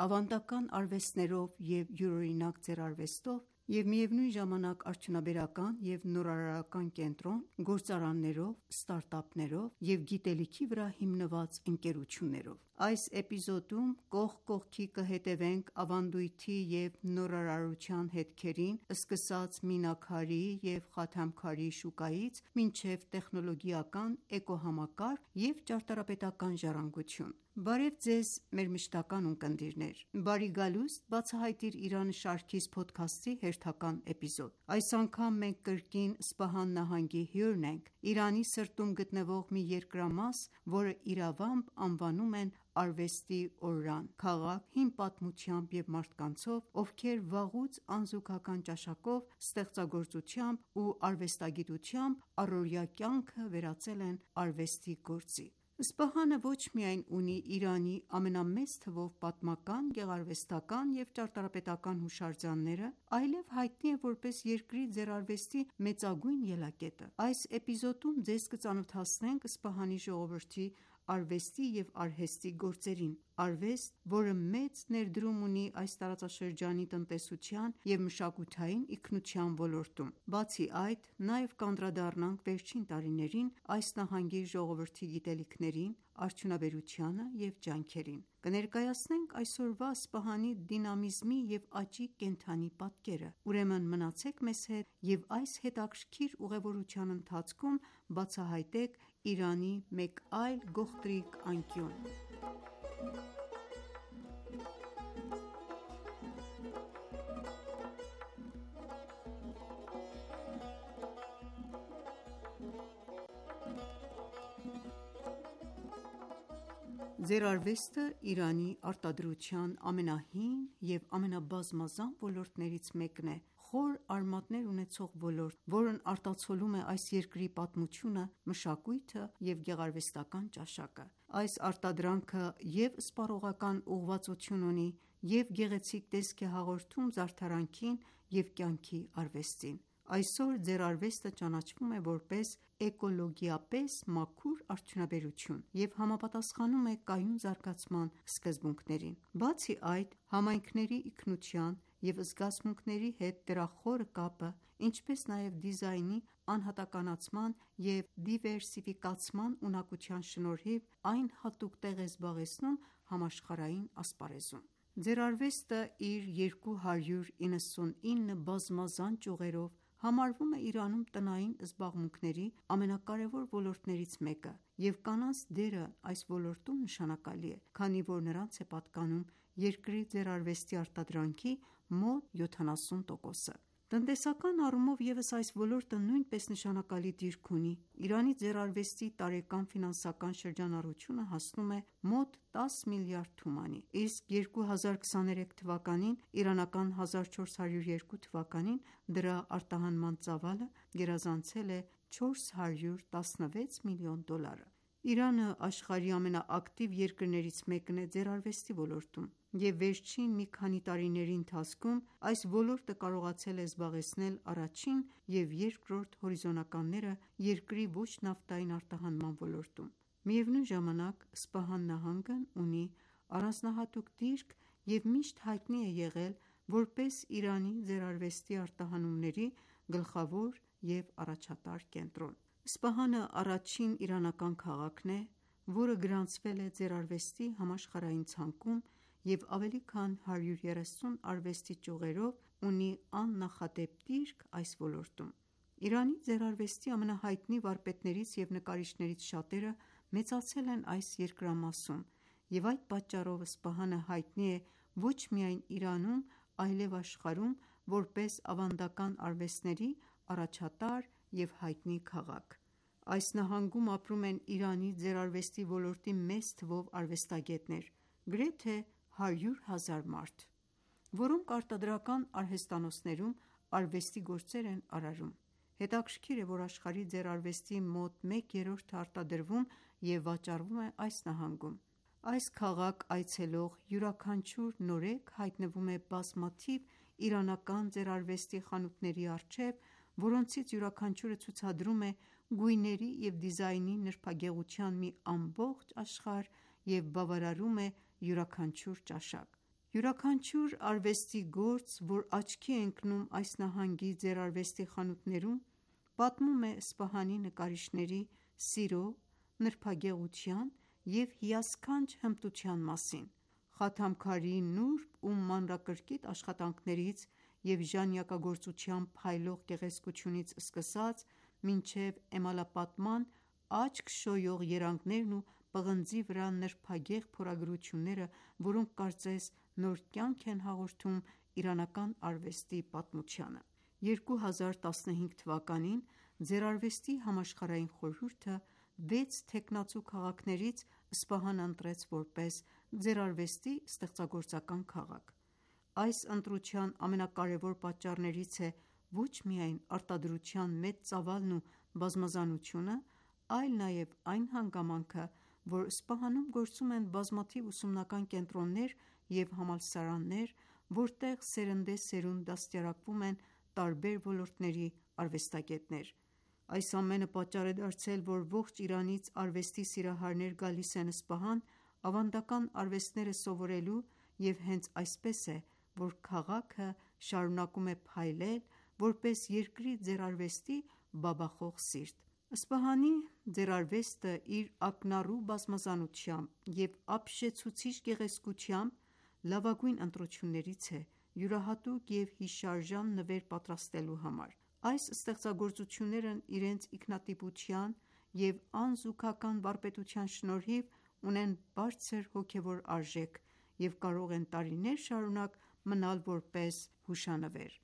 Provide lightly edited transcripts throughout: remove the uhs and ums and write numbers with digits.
ավանդական արվեստներով և յուրօրինակ ձեռարվեստով և միևնույն ժամանակ արդյունաբերական և նորարարական կենտրոն՝ գործարաններով, ստարտափներով և գիտելիքի վրա հիմնված ընկերություններով։ Այս էպիզոդում կողք կողքի կհետևենք ավանդույթի և նորարարության հետքերին՝ սկսած մինաքարի և խաթամքարի շուկայից մինչև տեխնոլոգիական էկոհամակարգ և ճարտարապետական ժառանգություն։ Բարև Ձեզ մեր մշտական ունկնդիրներ: «Բարի գալուստ, բացահայտիր Իրանը» շարքիս փոդքասթի հերթական էպիզոդ։ Այս անգամ մենք կրկին Սպահան նահանգի հյուրն ենք՝ Իրանի սրտում գտնվող մի երկրամաս, որը իրավամբ անվանում են արվեստի օրրան, քաղաք հին պատմությամբ և մարդկանցով, ովքեր վաղուց անզուգական ճաշակով, ստեղծագործությամբ ու արվեստագիտությամբ առօրյա կյանքը վերածել են արվեստի գործի։ Սպահանը ոչ միայն ունի Իրանի ամենամեծ թվով պատմական, գեղարվեստական և ճարտարապետական հուշարձանները, այլև հայտնի է որպես երկրի ձեռարվեստի մեծագույն ելակետը։ Այս էպիզոդում ձեզ կծանոթացնենք Սպահանի ժողովրդի արվեստի և արհեստի գործերին։ Արվեստ, որը մեծ ներդրում ունի այս տարածաշրջանի տնտեսության և մշակութային ինքնության ոլորտում։ Բացի այդ, նաև կանդրադառնանք վերջին տարիներին այս նահանգի ժողովրդի գիտելիքներին, արդյունաբերությանը և ջանքերին։ Կներկայացնենք այսօրվա Սպահանի դինամիզմի և աճի կենդանի պատկերը։ Ուրեմն մնացեք մեզ հետ և այս հետաքրքիր ուղևորության ընթացքում բացահայտեք Իրանի մեկ այլ գողտրիկ անկյուն։ Ձեռարվեստը Իրանի արտադրության ամենահին և ամենաբազմազան ոլորտներից մեկն է, խոր արմատներ ունեցող ոլորտ, որն արտացոլում է այս երկրի պատմությունը, մշակույթը և գեղարվեստական ճաշակը։ Այս արտադրանքը և՛ սպառողական ուղղվածություն ունի, և՛ գեղեցիկ տեսք է հաղորդում զարդարանքին և կյանքի արվեստին։ Այսօր ձեռարվեստը ճանաչվում է որպես էկոլոգիապես մաքուր արդյունաբերություն և համապատասխանում է կայուն զարգացման սկզբունքներին։ Բացի այդ, համայնքների ինքնության և զգացմունքների հետ դրա խորը կապը, ինչպես նաև դիզայնի անհատականացման և դիվերսիֆիկացման ունակության շնորհիվ, այն հատուկ տեղ է զբաղեցնում համաշխարհային ասպարեզում։ Ձեռարվեստը իր 299 բազմազան ճյուղերով համարվում է Իրանում տնային զբաղմունքների ամենակարևոր ոլորտներից մեկը, և կանանց դերը այս ոլորտում նշանակալի է, քանի որ նրանց է պատկանում երկրի ձեռարվեստի արտադրանքի մոտ 70%-ը։ Տնտեսական առումով ևս այս ոլորտը նույնպես նշանակալի դիրք ունի։ Իրանի ձեռարվեստի տարեկան ֆինանսական շրջանառությունը հասնում է մոտ 10 միլիարդ թումանի, իսկ 2023 թվականին (իրանական 1402 թվականին) դրա արտահանման ծավալը գերազանցել է $416 միլիոն։ Իրանը աշխարհի ամենաակտիվ երկրներից մեկն է ձեռարվեստի ոլորտում, և վերջին մի քանի տարիների ընթացքում այս ոլորտը կարողացել է զբաղեցնել առաջին և երկրորդ հորիզոնականները երկրի ոչ նավթային արտահանման ոլորտում։ Միևնույն ժամանակ, Սպահան նահանգն ունի առանձնահատուկ դիրք և միշտ հայտնի է եղել որպես Իրանի ձեռարվեստի արտահանումների գլխավոր և առաջատար կենտրոն։ Սպահանը առաջին իրանական քաղաքն է, որը գրանցվել է ձեռարվեստի համաշխարհային ցանկում և ավելի քան 130 արվեստի ճյուղերով ունի աննախադեպ դիրք այս ոլորտում։ Իրանի ձեռարվեստի ամենահայտնի վարպետներից և նկարիչներից շատերը մեծացել են այս երկրամասում, և այդ պատճառով Սպահանը հայտնի է ոչ միայն Իրանում, այլև աշխարհում որպես ավանդական արվեստների առաջատար և հայտնի քաղաք։ Այս նահանգում ապրում են Իրանի ձեռարվեստի ոլորտի մեծ թվով արվեստագետներ, գրեթե 100,000 մարդ, որոնք արտադրական արհեստանոցներում արվեստի գործեր են արարում։ Հետաքրքիր է, որ աշխարհի ձեռարվեստի մոտ մեկ երրորդը արտադրվում և վաճառվում է այս նահանգում։ Այս քաղաք այցելող յուրաքանչյուր նորեկ հայտնվում է բազմաթիվ իրանական ձեռարվեստի խանութների առջև, որոնցից յուրաքանչյուրը ցուցադրում է գույների և դիզայնի նրբագեղության մի ամբողջ աշխարհ և բավարարում է յուրաքանչյուր ճաշակ։ Յուրաքանչյուր արվեստի գործ, որ աչքի է ընկնում այս նահանգի ձեռարվեստի խանութներում, պատմում է Սպահանի նկարիչների սիրո, նրբագեղության և հիասքանչ հմտության մասին։ Խաթամքարիի նուրբ ու մանրակրկիտ աշխատանքներից և ժանյակագործության փայլող գեղեցկությունից սկսած, մինչև էմալապատման աչք շոյող երանգներն ու պղնձի վրա նրբագեղ փորագրությունները, որոնք կարծես նոր կյանք են հաղորդում իրանական արվեստի պատմությանը։ 2015 թվականին Ձեռարվեստի համաշխարհային խորհուրդը 6 թեկնածու քաղաքներից Սպահանը ընտրեց որպես ձեռարվեստի ստեղծագործական քաղաք։ Այս ընտրության ամենակարևոր պատճառներից է ոչ միայն արտադրության մեծ ծավալն ու բազմազանությունը, այլ նաև այն հանգամանքը, որ Սպահանում գործում են բազմաթիվ ուսումնական կենտրոններ և համալսարաններ, որտեղ սերնդեսերունդ դաստիարակվում են տարբեր ոլորտների արվեստագետներ։ Այս ամենը պատճառ է դարձել, որ ողջ Իրանից արվեստի սիրահարներ գալիս են Սպահան ավանդական արվեստները սովորելու, և հենց այսպես է, որ քաղաքը շարունակում է փայլել, որպես երկրի ձեռարվեստի բաբախող սիրտ։ Սպահանի ձեռարվեստը իր ակնառու բազմազանությամբ և ապշեցուցիչ գեղեցկությամբ լավագույն ընտրություններից է յուրահատուկ և հիշարժան նվեր պատրաստելու համար։ Այս ստեղծագործություններն իրենց ինքնատիպության և անզուգական վարպետության շնորհիվ ունեն բարձր հոգևոր արժեք և կարող են տարիներ շարունակ մնալ որպես հուշանվեր։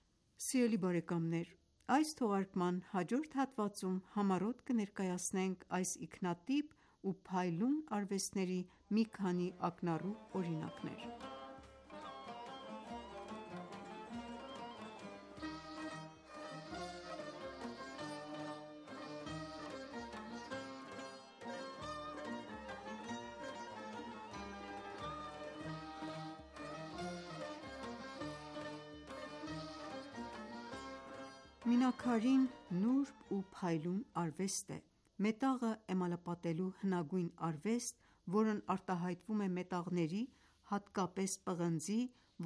Սիրելի բարեկամներ, այս թողարկման հաջորդ հատվածում համառոտ կներկայացնենք այս ինքնատիպ ու փայլուն արվեստների մի քանի ակնառու օրինակներ։ Մինաքարին նուրբ ու փայլուն արվեստ է։ Մետաղը էմալապատելու հնագույն արվեստ, որն արտահայտվում է մետաղների, հատկապես պղնձի,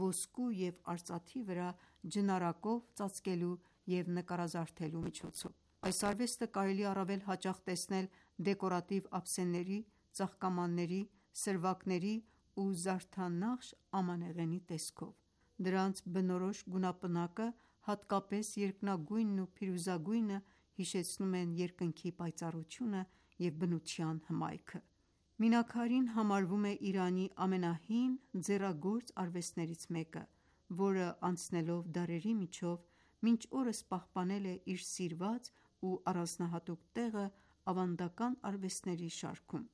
ոսկու և արծաթի վրա ջնարակով ծածկելու և նկարազարդելու միջոցով։ Այս արվեստը կարելի է առավել հաճախ տեսնել դեկորատիվ ափսեների, ծաղկամանների, սրվակների ու զարդանախշ ամանեղենի տեսքով։ Դրանց բնորոշ գունապնակը, հատկապես երկնագույնն ու փիրուզագույնը, հիշեցնում են երկնքի պայծառությունը և բնության հմայքը։ Մինաքարին համարվում է Իրանի ամենահին ձեռագործ արվեստներից մեկը, որը անցնելով դարերի միջով մինչ օրս պահպանել է իր սիրված ու առանձնահատուկ տեղը ավանդական արվեստների շարքում։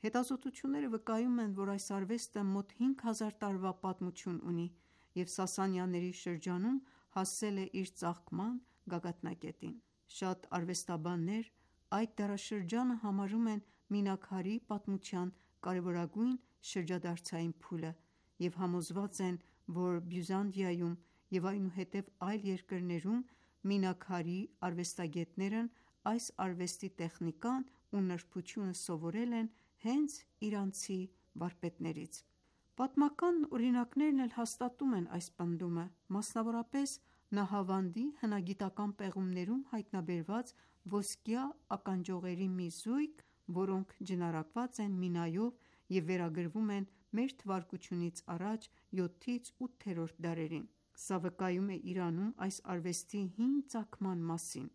Հետազոտությունները վկայում են, որ այս արվեստը մոտ 5000 տարվա պատմություն ունի և Սասանյանների շրջանում հասել է իր ծաղկման գագաթնակետին։ Շատ արվեստաբաններ այդ դարաշրջանը համարում են Մինաքարի պատմության կարևորագույն շրջադարձային փուլը և համոզված են, որ Բյուզանդիայում և այնուհետև այլ երկրներում Մինաքարի արվեստագետներն այս արվեստի տեխնիկան ու նրբությունը սովորել են հենց իրանցի վարպետներից։ Պատմական օրինակներն էլ հաստատում են այս պնդումը, մասնավորապես Նահավանդի հնագիտական պեղումներում հայտնաբերված ոսկյա ականջողերի մի զույգ, որոնք ջնարակված են մինայով և վերագրվում են մ.թ.ա. 7-8-րդ դարերին։ Սա վկայում է Իրանում այս արվեստի հին ծագման մասին։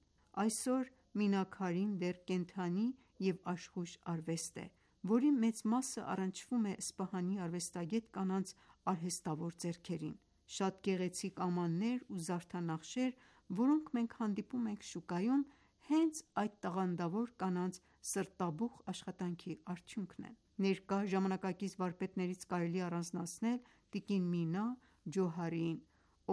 Այսօր Մինաքարին դեռ կենդանի և աշխույժ արվեստ է, որի մեծ մասը առնչվում է Սպահանի արվեստագետ կանանց արհեստավոր ձեռքերին։ Շատ գեղեցիկ ամաններ ու զարդանախշեր, որոնք մենք հանդիպում ենք շուկայում, հենց այդ տաղանդավոր կանանց սրտաբուխ աշխատանքի արդյունքն են։ Ներկա ժամանակակից վարպետներից կարելի է առանձնացնել տիկին Մինա Ջոհարիին,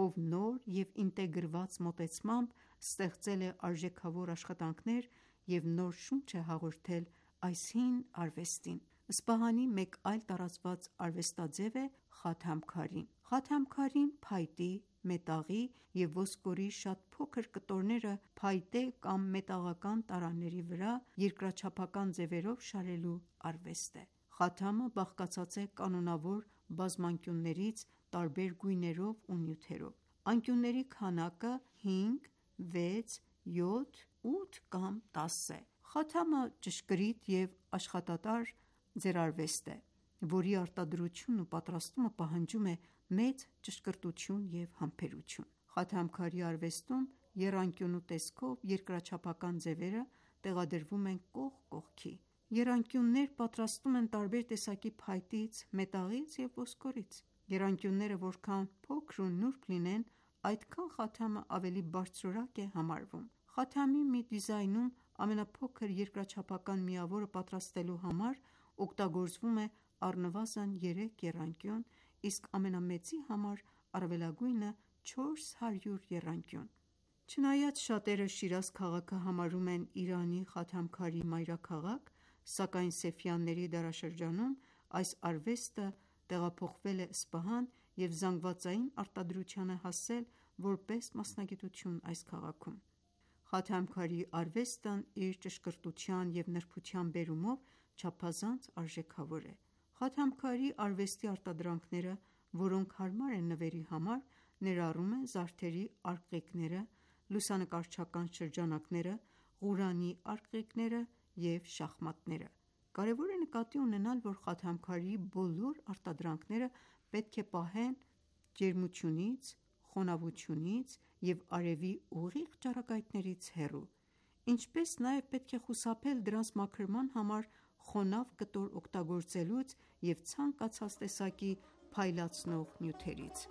ով նոր և ինտեգրված մոտեցմամբ ստեղծել է արժեքավոր աշխատանքներ և նոր շունչ է հաղորդել այս հին արվեստին։ Սպահանի մեկ այլ տարածված արվեստաձև է Խաթամքարին։ Խաթամքարին փայտի, մետաղի և ոսկորի շատ փոքր կտորները փայտե կամ մետաղական տարաների վրա երկրաչափական ձևերով շարելու արվեստ է։ Խաթամը բաղկացած է կանոնավոր բազմանկյուններից, տարբեր գույներով ու նյութերով։ Անկյունների քանակը 5, 6, 7, 8 կամ 10 է։ Խաթամը ճշգրիտ և աշխատատար ձեռարվեստ է, որի արտադրությունն ու պատրաստումը պահանջում է մեծ ճշգրտություն և համբերություն։ Խաթամքարի արվեստում եռանկյունու տեսքով երկրաչափական ձևերը տեղադրվում են կողք կողքի։ Եռանկյուններ պատրաստում են տարբեր տեսակի փայտից, մետաղից և ոսկորից։ Եռանկյունները որքան փոքր ու նուրբ լինեն, այդքան խաթամը ավելի բարձրորակ է համարվում։ Խաթամի մի դիզայնում ամենափոքր երկրաչափական միավորը պատրաստելու համար օգտագործվում է առնվազն 3 եռանկյուն, իսկ ամենամեծի համար առավելագույնը 400 եռանկյուն։ Չնայած շատերը Շիրազ քաղաքը համարում են Իրանի խաթամքարի մայրաքաղաք, սակայն Սեֆյանների դարաշրջանում այս արվեստը տեղափոխվել է Սպահան և զանգվածային արտադրության է հասել որպես մասնագիտություն այս քաղաքում։ Խաթամքարի արվեստն իր ճշգրտության և նրբության բերումով չափազանց արժեքավոր է։ Խաթամքարի արվեստի արտադրանքները, որոնք հարմար են նվերի համար, ներառում են զարդերի արկղիկները, լուսանկարչական շրջանակները, Ղուրանի արկղիկները և շախմատները։ Կարևոր է նկատի ունենալ, որ խաթամքարի բոլոր արտադրանքները պետք է պահեն ջերմությունից, խոնավությունից և արևի ուղիղ ճառագայթներից հեռու, ինչպես նաև պետք է խուսափել դրանց մաքրման համար խոնավ կտոր օգտագործելուց և ցանկացած տեսակի փայլացնող նյութերից։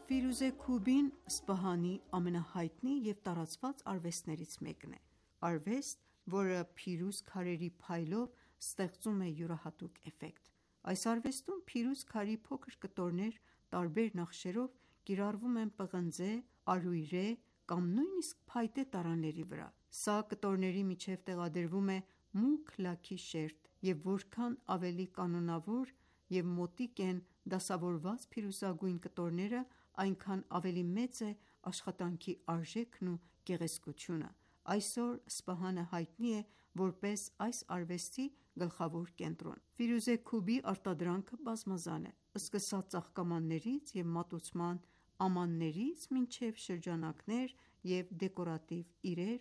Ֆիրուզե Քուբին Սպահանի ամենահայտնի և տարածված արվեստներից մեկն է։ Արվեստ, որը փիրուզ քարերի փայլով ստեղծում է յուրահատուկ էֆեկտ։ Այս արվեստում փիրուզ քարի փոքր կտորներ տարբեր նախշերով կիրառվում են պղնձե, արույրե կամ նույնիսկ փայտե տարաների վրա։ Սա կտորների միջև տեղադրվում է մուգ լաքի շերտ, և որքան ավելի կանոնավոր և մոտիկ են դասավորված փիրուզագույն կտորները, այնքան ավելի մեծ է աշխատանքի արժեքն ու գեղեցկությունը։ Այսօր Սպահանը հայտնի է որպես այս արվեստի գլխավոր կենտրոն։ Ֆիրուզե Քուբի արտադրանքը բազմազան է, սկսած ծաղկամաններից և մատուցման ամաններից մինչև շրջանակներ և դեկորատիվ իրեր,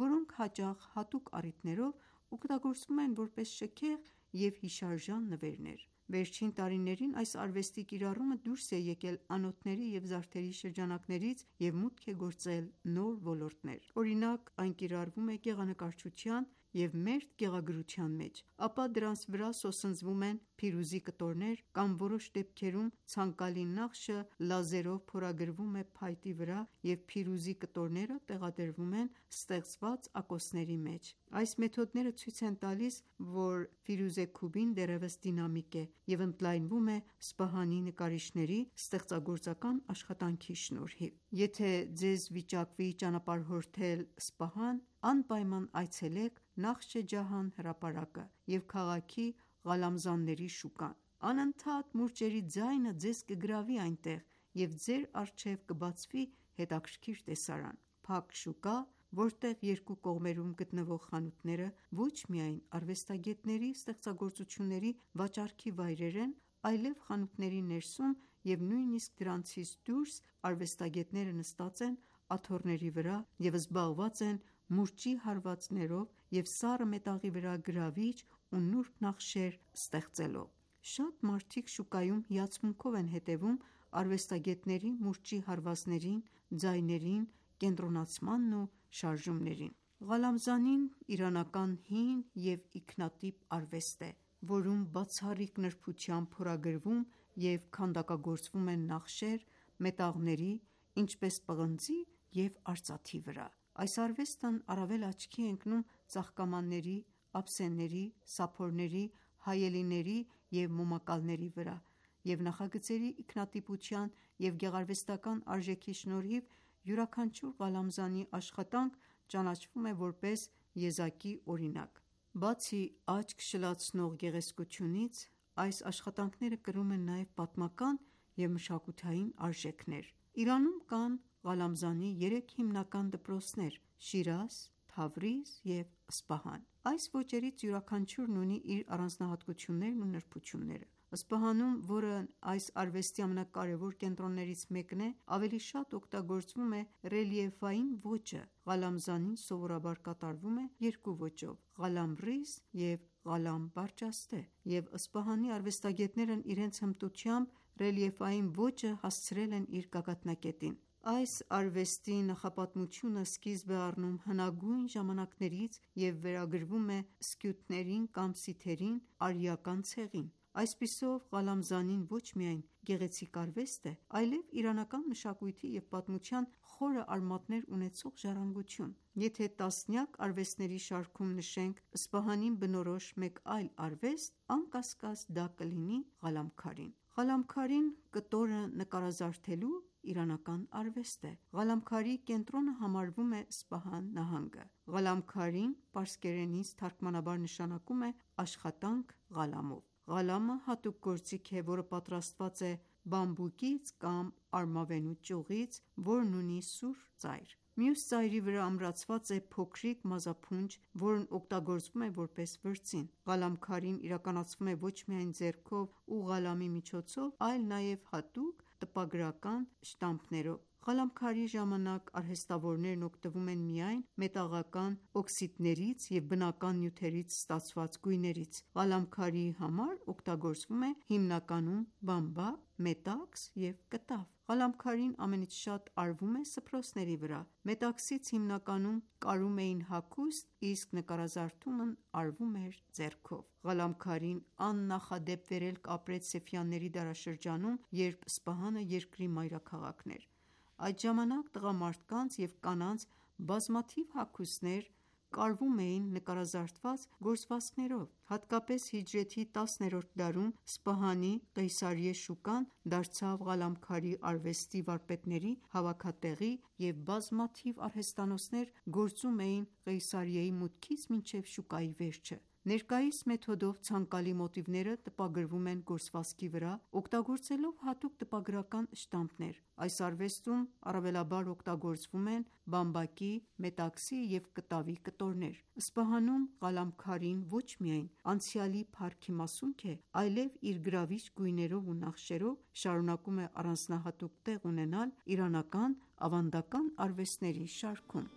որոնք հաճախ հատուկ առիթներով օգտագործվում են որպես շքեղ և հիշարժան նվերներ։ Վերջին տարիներին այս արվեստի կիրառումը դուրս է եկել անոթների և զարդերի շրջանակներից և մուտք է գործել նոր ոլորտներ։ Օրինակ, այն կիրառվում է գեղանկարչության և մերթ գեղագրության մեջ, ապա դրանց վրա սոսնձվում են փիրուզի կտորներ կամ որոշ դեպքերում ցանկալի նախշը լազերով փորագրվում է փայտի վրա և փիրուզի կտորները տեղադրվում են ստեղծված ակոսների մեջ։ Այս մեթոդները ցույց են տալիս, որ Ֆիրուզե Քուբին դեռևս դինամիկ է և ընդլայնվում է Սպահանի նկարիչների ստեղծագործական աշխատանքի շնորհիվ։ Եթե ձեզ վիճակվի ճանապարհորդել Սպահան, անպայման այցելեք Նախշե Ջահան հրապարակը և քաղաքի Ղալամզանների շուկան։ Անընդհատ մուրճերի ձայնը ձեզ կգրավի այնտեղ, և ձեր առջև կբացվի հետաքրքիր տեսարան։ Փակ շուկա, որտեղ երկու կողմերում գտնվող խանութները ոչ միայն արվեստագետների ստեղծագործությունների վաճառքի վայրեր են, այլև խանութների ներսում և նույնիսկ դրանցից դուրս արվեստագետները նստած են աթոռների վրա և զբաղված են մուրճի հարվածներով և սառը մետաղի վրա գրավիչ ու նուրբ նախշեր ստեղծելով։ Շատ մարդիկ շուկայում հիացմունքով են հետևում արվեստագետների մուրճի հարվածներին, ձայներին, կենտրոնացմանն ու շարժումներին։ Ղալամզանին իրանական հին և ինքնատիպ արվեստ է, որում բացառիկ նրբությամբ փորագրվում և քանդակագործվում են նախշեր մետաղների, ինչպես պղնձի և արծաթի վրա։ Այս արվեստն առավել աչքի է ընկնում ծաղկամանների, ափսեների, սափորների, հայելիների և մոմակալների վրա, և նախագծերի ինքնատիպության և գեղարվեստական արժեքի շնորհիվ յուրաքանչյուր Ղալամզանի աշխատանք ճանաչվում է որպես եզակի օրինակ։ Բացի աչք շլացնող գեղեցկությունից, այս աշխատանքները կրում են նաև պատմական և մշակութային արժեքներ։ Իրանում կան Ղալամզանի 3 հիմնական դպրոցներ՝ Շիրազ, Թավրիզ և Սպահան։ Այս ոճերից յուրաքանչյուրն ունի իր առանձնահատկություններն ու նրբությունները։ Սպահանում, որն այս արվեստի ամենակարևոր կենտրոններից մեկն է, ավելի շատ օգտագործվում է ռելիեֆային ոճը։ Ղալամզանին սովորաբար կատարվում է երկու ոճով՝ Ղալամռիզ և Ղալամ բարջաստե, և Սպահանի արվեստագետներն իրենց հմտությամբ ռելիեֆային ոճը հասցրել են իր գագաթնակետին։ Այս արվեստի նախապատմությունը սկիզբ է առնում հնագույն ժամանակներից և վերագրվում է սկյութներին կամ սիթերին արիական ցեղին։ Այսպիսով, Ղալամզանին ոչ միայն գեղեցիկ արվեստ է, այլև իրանական մշակույթի և պատմության խորը արմատներ ունեցող ժառանգություն։ Եթե տասնյակ արվեստների շարքում նշենք Սպահանին բնորոշ մեկ այլ արվեստ, անկասկած դա կլինի Ղալամքարին։ Ղալամքարին կտորը նկարազարդելու իրանական արվեստ է։ Ղալամքարի կենտրոնը համարվում է Սպահան նահանգը։ Ղալամքարին պարսկերենից թարգմանաբար նշանակում է աշխատանք ղալամով։ Ղալամը հատուկ գործիք է, որը պատրաստված է բամբուկից կամ արմավենու ճյուղից, որն ունի սուր ծայր։ Մյուս ծայրի վրա ամրացված է փոքրիկ մազափունջ, որն օգտագործվում է որպես վրձին։ Ղալամքարին իրականացվում է ոչ միայն ձեռքով ու ղալամի միջոցով, այլ նաև հատուկ տպագրական շտամպներով։ Ղալամքարի ժամանակ արհեստավորներն օգտվում են միայն մետաղական օքսիդներից և բնական նյութերից ստացված գույներից։ Ղալամքարի համար օգտագործվում է հիմնականում բամբակ, մետաքս և կտավ։ Ղալամքարին ամենից շատ արվում է սփռոցների վրա։ Մետաքսից հիմնականում կարում էին հագուստ, իսկ նկարազարդումն արվում էր ձեռքով։ Ղալամքարին աննախադեպ վերելք ապրեց Սեֆյանների դարաշրջանում, երբ Սպահանը երկրի մայրաքաղաքն էր։ Այդ ժամանակ տղամարդկանց և կանանց բազմաթիվ հագուստներ կարվում էին նկարազարդված գործվածքներով։ Հատկապես հիջրեթի 10-րդ դարում Սպահանի Ყեյսարիե շուկան դարձավ Ղալամքարի արվեստի վարպետների հավաքատեղի, և բազմաթիվ արհեստանոցներ գործում էին Ղեյսարիեի մուտքից մինչև շուկայի վերջը։ Ներկայիս մեթոդով ցանկալի մոտիվները տպագրվում են գործվածքի վրա՝ օգտագործելով հատուկ տպագրական շտամպներ։ Այս արվեստում առավելաբար օգտագործվում են բամբակի, մետաքսի և կտավի կտորներ։ Սպահանում Ղալամքարին ոչ միայն անցյալի փառքի մասունք է, այլև իր գրավիչ գույներով ու նախշերով շարունակում է առանձնահատուկ տեղ ունենալ իրանական ավանդական արվեստների շարքում։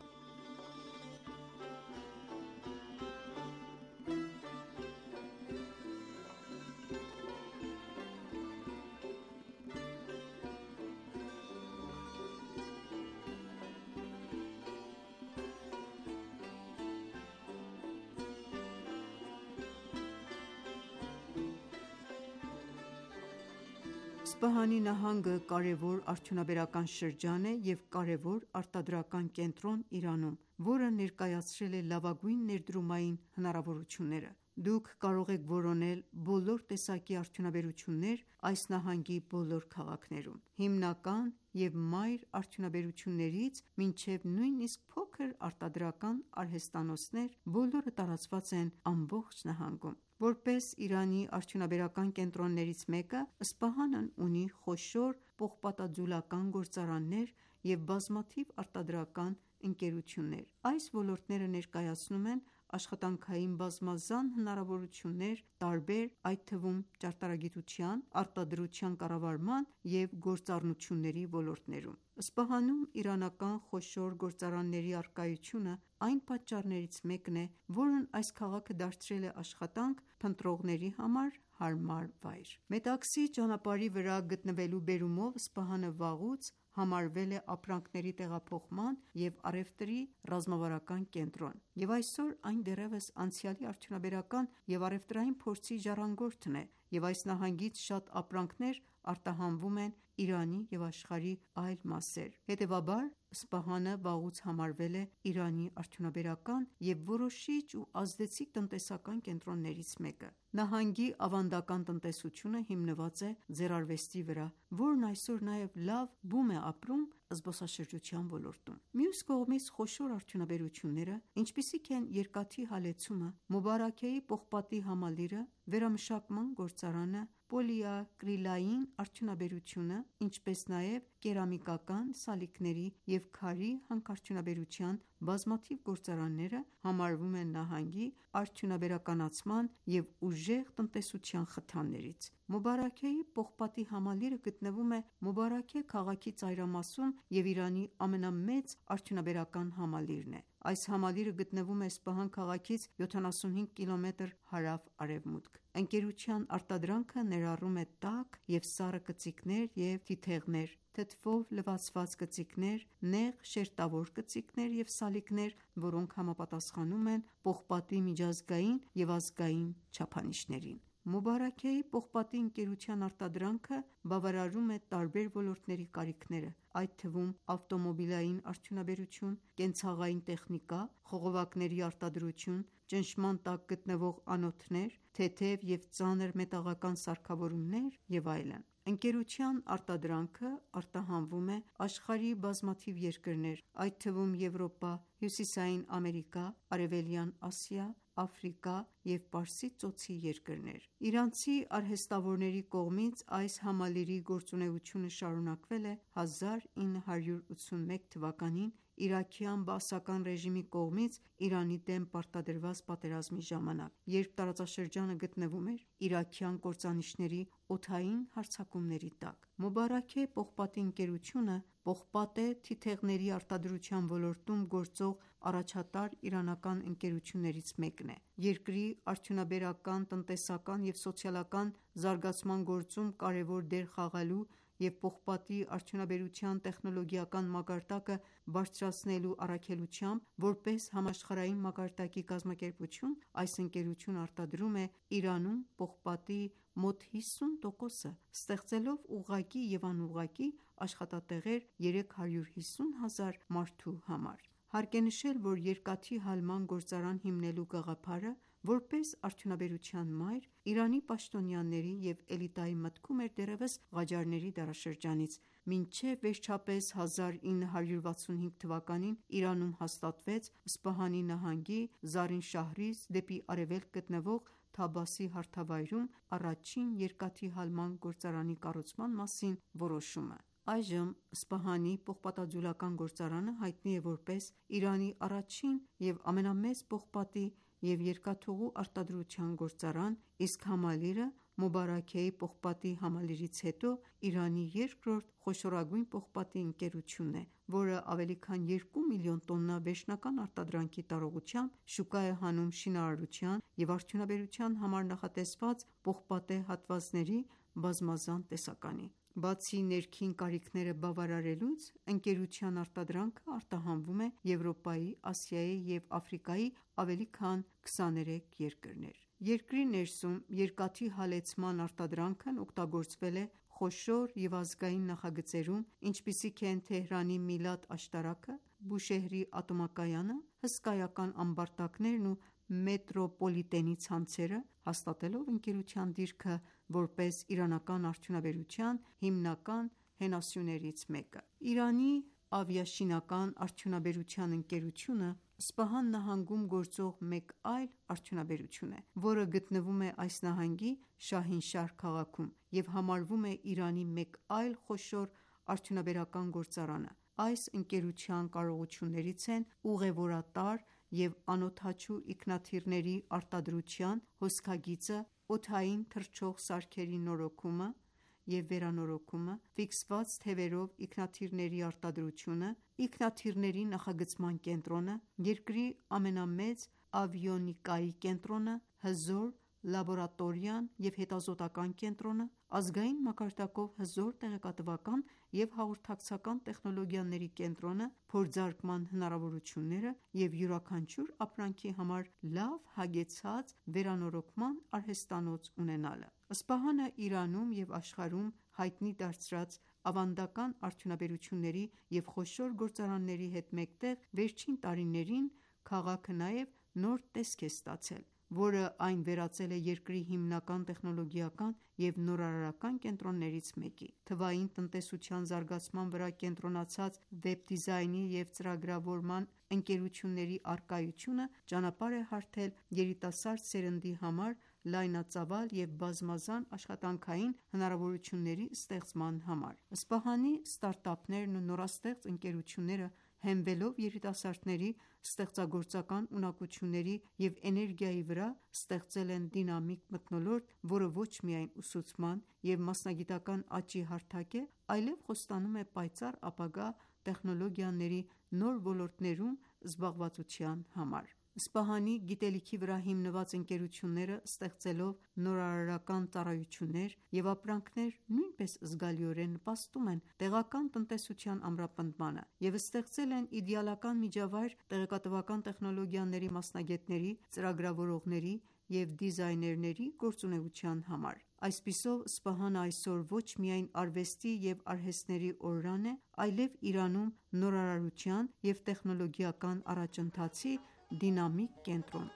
Սպահանի նահանգը կարևոր արդյունաբերական շրջան է և կարևոր արտադրական կենտրոն Իրանում, որը ներկայացրել է լավագույն ներդրումային հնարավորությունները։ Դուք կարող եք որոնել բոլոր տեսակի արդյունաբերություններ այս նահանգի բոլոր քաղաքներում։ Հիմնական և մայր արդյունաբերություններից մինչև նույնիսկ փոքր արտադրական արհեստանոցներ, բոլորը տարածված են ամբողջ նահանգում։ Որպես Իրանի արդյունաբերական կենտրոններից մեկը, Սպահանն ունի խոշոր պողպատաձուլական գործարաններ և բազմաթիվ արտադրական ընկերություններ։ Այս ոլորտները ներկայացնում են աշխատանքային բազմազան հնարավորություններ տարբեր, այդ թվում ճարտարագիտության, արտադրության կառավարման և գործառնությունների ոլորտներում։ Սպահանում իրանական խոշոր գործարանների առկայությունը այն պատճառներից մեկն է, որն այս քաղաքը դարձրել է աշխատանք փնտրողների համար հարմար վայր։ Մետաքսի ճանապարհի վրա գտնվելու բերումով Սպահանը վաղուց համարվել է ապրանքների տեղափոխման և առևտրի ռազմավարական կենտրոն, և այսօր այն դեռևս անցյալի արդյունաբերական և առևտրային փորձի ժառանգորդն է, և այս նահանգից շատ ապրանքներ արտահանվում են Իրանի և աշխարհի այլ մասեր։ Հետևաբար, Սպահանը վաղուց համարվել է Իրանի արդյունաբերական և որոշիչ ու ազդեցիկ տնտեսական կենտրոններից մեկը։ Նահանգի ավանդական տնտեսությունը հիմնված է ձեռարվեստի վրա, որն այսօր նաև լավ բում է ապրում զբոսաշրջության ոլորտում։ Մյուս կողմից, խոշոր արդյունաբերությունները, ինչպիսիք են երկաթի հալեցումը, Մուբարաքեի պողպատի համալիրը, վերամշակման գործարանը, պոլիակրիլային արդյունաբերությունը, ինչպես նաև կերամիկական, սալիկների և քարի հանքարդյունաբերության բազմաթիվ գործարանները համարվում են նահանգի արդյունաբերականացման և ուժեղ տնտեսության խթաններից։ Մուբարաքեի պողպատի համալիրը գտնվում է Մուբարաքե քաղաքի ծայրամասում և Իրանի ամենամեծ արդյունաբերական համալիրն է։ Այս համալիրը գտնվում է Սպահան քաղաքից 75 կմ հարավ-արևմուտք։ Ընկերության արտադրանքը ներառում է տաք և սառը կծիկներ և թիթեղներ, թթվով լվացված կծիկներ, նեղ շերտավոր կծիկներ և սալիկներ, որոնք համապատասխանում են պողպատի միջազգային և ազգային չափանիշներին։ Մուբարաքեի պողպատի ընկերության արտադրանքը բավարարում է տարբեր ոլորտների կարիքները, այդ թվում ավտոմոբիլային արդյունաբերություն, կենցաղային տեխնիկա, խողովակների արտադրություն, ճնշման տակ գտնվող անոթներ, թեթև և ծանր մետաղական սարքավորումներ և այլն։ Ընկերության արտադրանքը արտահանվում է աշխարհի բազմաթիվ երկրներ, այդ թվում Եվրոպա, Հյուսիսային Ամերիկա, Արևելյան Ասիա, Աֆրիկա և Պարսից ծոցի երկրներ։ Իրանցի արհեստավորների կողմից այս համալիրի գործունեությունը շարունակվել է 1981 թվականին իրաքյան բաասական ռեժիմի կողմից Իրանի դեմ պարտադրված պատերազմի ժամանակ, երբ տարածաշրջանը գտնվում էր իրաքյան կործանիչների օդային հարձակումների տակ։ Մուբարաքե պողպատի ընկերությունը պողպատե թիթեղների արտադրության ոլորտում գործող առաջատար իրանական ընկերություններից մեկն է։ Երկրի արդյունաբերական, տնտեսական և սոցիալական զարգացման գործում կարևոր դեր խաղալու և պողպատի արդյունաբերության տեխնոլոգիական մակարդակը բարձրացնելու առաքելությամբ, որպես համաշխարհային մակարդակի կազմակերպություն, այս ընկերությունը արտադրում է Իրանում պողպատի մոտ 50%-ը, ստեղծելով ուղղակի և անուղղակի աշխատատեղեր 350 հազար մարդու համար։ Հարկ է նշել, որ երկաթի հալման գործարան հիմնելու գաղափարը, որպես արդյունաբերության մայր, Իրանի պաշտոնյաների և էլիտայի մտքում էր դեռևս Ղաջարների դարաշրջանից, մինչև վերջապես 1965 թվականին Իրանում հաստատվեց Սպահանի նահանգի Զարինշահրից դեպի արևելք գտնվող Թաբասի հարթավայրում առաջին երկաթի հալման գործարանի կառուցման մասին որոշումը։ Այժմ Սպահանի պողպատաձուլական գործարանը հայտնի է որպես Իրանի առաջին և ամենամեծ պողպատի և երկաթուղու արտադրության գործարան, իսկ համալիրը Մուբարաքեի պողպատի համալիրից հետո Իրանի երկրորդ խոշորագույն պողպատի ընկերությունն է, որը ավելի քան 2 միլիոն տոննա վերջնական արտադրանքի տարողությամբ շուկա է հանում շինարարության և արդյունաբերության համար նախատեսված պողպատե հատվածների բազմազան տեսականի։ Բացի ներքին կարիքները բավարարելուց, ընկերության արտադրանքը արտահանվում է Եվրոպայի, Ասիայի և Աֆրիկայի ավելի քան 23 երկրներ։ Երկրի ներսում երկաթի հալեցման արտադրանքն օգտագործվել է խոշոր և ազգային նախագծերում, ինչպիսիք են Թեհրանի Միլադ աշտարակը, Բուշեհրի ատոմակայանը, հսկայական ամբարտակներն ու մետրոպոլիտենի ցանցերը, հաստատելով ընկերության դիրքը որպես իրանական արդյունաբերության հիմնական հենասյուներից մեկը։ Իրանի ավիաշինական արդյունաբերության ընկերությունը Սպահան նահանգում գործող մեկ այլ արդյունաբերություն է, որը գտնվում է այս նահանգի Շահինշահր քաղաքում և համարվում է Իրանի մեկ այլ խոշոր արդյունաբերական գործարանը։ Այս ընկերության կարողություններից են ուղևորատար և անօդաչու ինքնաթիռների արտադրության հոսքագիծը, օդային թռչող սարքերի նորոգումը և վերանորոգումը, ֆիքսված թևերով ինքնաթիռների արտադրությունը, ինքնաթիռների նախագծման կենտրոնը, երկրի ամենամեծ ավիոնիկայի կենտրոնը, հզոր լաբորատորիան և հետազոտական կենտրոնը, ազգային մակարդակով հզոր տեղեկատվական և հաղորդակցական տեխնոլոգիաների կենտրոնը, փորձարկման հնարավորությունները և յուրաքանչյուր ապրանքի համար լավ հագեցած վերանորոգման արհեստանոց ունենալը։ Սպահանը Իրանում և աշխարհում հայտնի դարձրած ավանդական արդյունաբերությունների և խոշոր գործարանների հետ մեկտեղ վերջին տարիներին քաղաքը նաև նոր տեսք է ստացել, որը այն վերածել է երկրի հիմնական տեխնոլոգիական և նորարարական կենտրոններից մեկի։ Թվային տնտեսության զարգացման վրա կենտրոնացած վեբ դիզայնի և ծրագրավորման ընկերությունների առկայությունը ճանապարհ է հարթել երիտասարդ սերնդի համար լայնածավալ և բազմազան աշխատանքային հնարավորությունների ստեղծման համար։ Սպահանի ստարտափներն ու նորաստեղծ ընկերությունները, հենվելով երիտասարդների ստեղծագործական ունակությունների և էներգիայի վրա, ստեղծել են դինամիկ մթնոլորտ, որը ոչ միայն ուսուցման և մասնագիտական աճի հարթակ է, այլև խոստանում է պայծառ ապագա տեխնոլոգիաների նոր ոլորտներում զբաղվածության համար։ Սպահանի գիտելիքի վրա հիմնված ընկերությունները, ստեղծելով նորարարական ծառայություններ և ապրանքներ, նույնպես զգալիորեն նպաստում են տեղական տնտեսության ամրապնդմանը և ստեղծել են իդեալական միջավայր տեղեկատվական տեխնոլոգիաների մասնագետների, ծրագրավորողների և դիզայներների գործունեության համար։ Այսպիսով, Սպահանը այսօր ոչ միայն արվեստի և արհեստների օրրան է, այլև Իրանում նորարարության և տեխնոլոգիական առաջընթացի դինամիկ կենտրոն։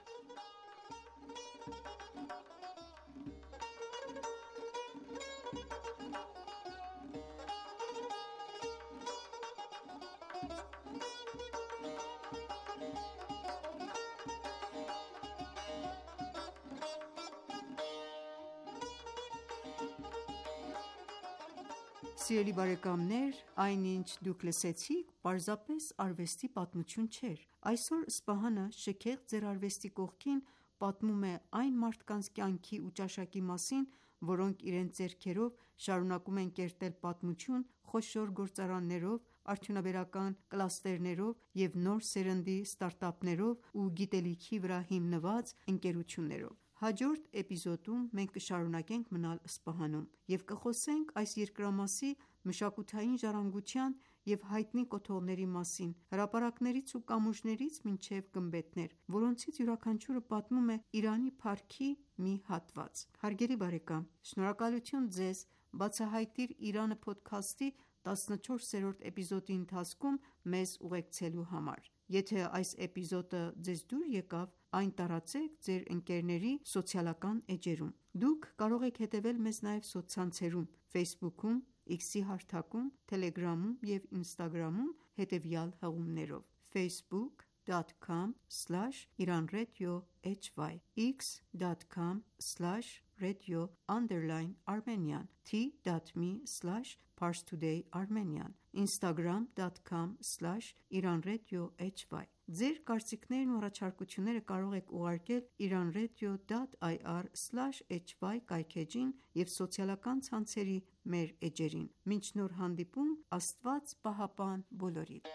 Սիրելի բարեկամներ, այն ինչ դուք լսեցիք, պարզապես արվեստի պատմություն չէր։ Այսօր Սպահանը շքեղ ձեռարվեստի կողքին պատմում է այն մարդկանց կյանքի ու ճաշակի մասին, որոնք իրենց ձեռքերով շարունակում են կերտել պատմություն խոշոր գործարաններով, արդյունաբերական կլաստերներով և նոր սերնդի ստարտափներով ու գիտելիքի վրա հիմնված ընկերություններով։ Հաջորդ էպիզոդում մենք կշարունակենք մնալ Սպահանում և կխոսենք այս երկրամասի մշակութային ժառանգության և հայտնի կոթողների մասին, հրապարակներից ու կամուրջներից մինչև գմբեթներ, որոնցից յուրաքանչյուրը պատմում է Իրանի փառքի մի հատված։ Հարգելի բարեկամ, շնորհակալություն ձեզ «Բացահայտիր Իրանը» փոդքասթի 14-րդ էպիզոդի ընթացքում մեզ ուղեկցելու համար։ Եթե այս էպիզոդը ձեզ դուր եկավ, այն տարածեք ձեր ընկերների սոցիալական էջերում։ Դուք կարող եք հետևել մեզ նաև սոցցանցերում Facebook-ում, X-ի հարթակում, Telegram-ում և Instagram-ում հետևյալ հղումներով՝ facebook.com/iranradio_hy x.com/radio_Armenian t.me/parstoday_armenian instagram.com/iranradio_hy Ձեր կարծիքներն ու առաջարկությունները կարող եք ուղարկել iranradio.ir/hy կայքէջին և սոցիալական ցանցերի մեր էջերին։ Մինչ նոր հանդիպում, Աստված պահապան բոլորիդ։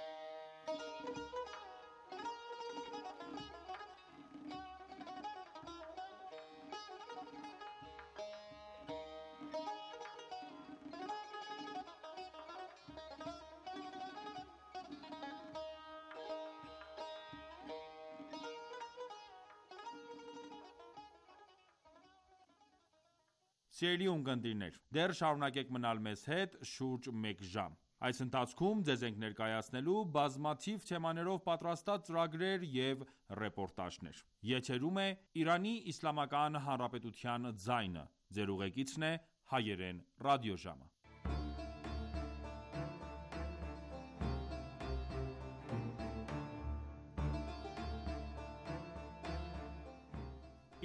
Սիրելի ունկնդիրներ, դեռ շարունակեք մնալ մեզ հետ շուրջ մեկ ժամ։ Այս ընթացքում ձեզ ենք ներկայացնելու բազմաթիվ թեմաներով պատրաստած ծրագրեր և ռեպորտաժներ։ Եթերում է Իրանի Իսլամական Հանրապետության ձայնը։ Ձեր ուղեկիցն է Հայերեն ռադիոժամը։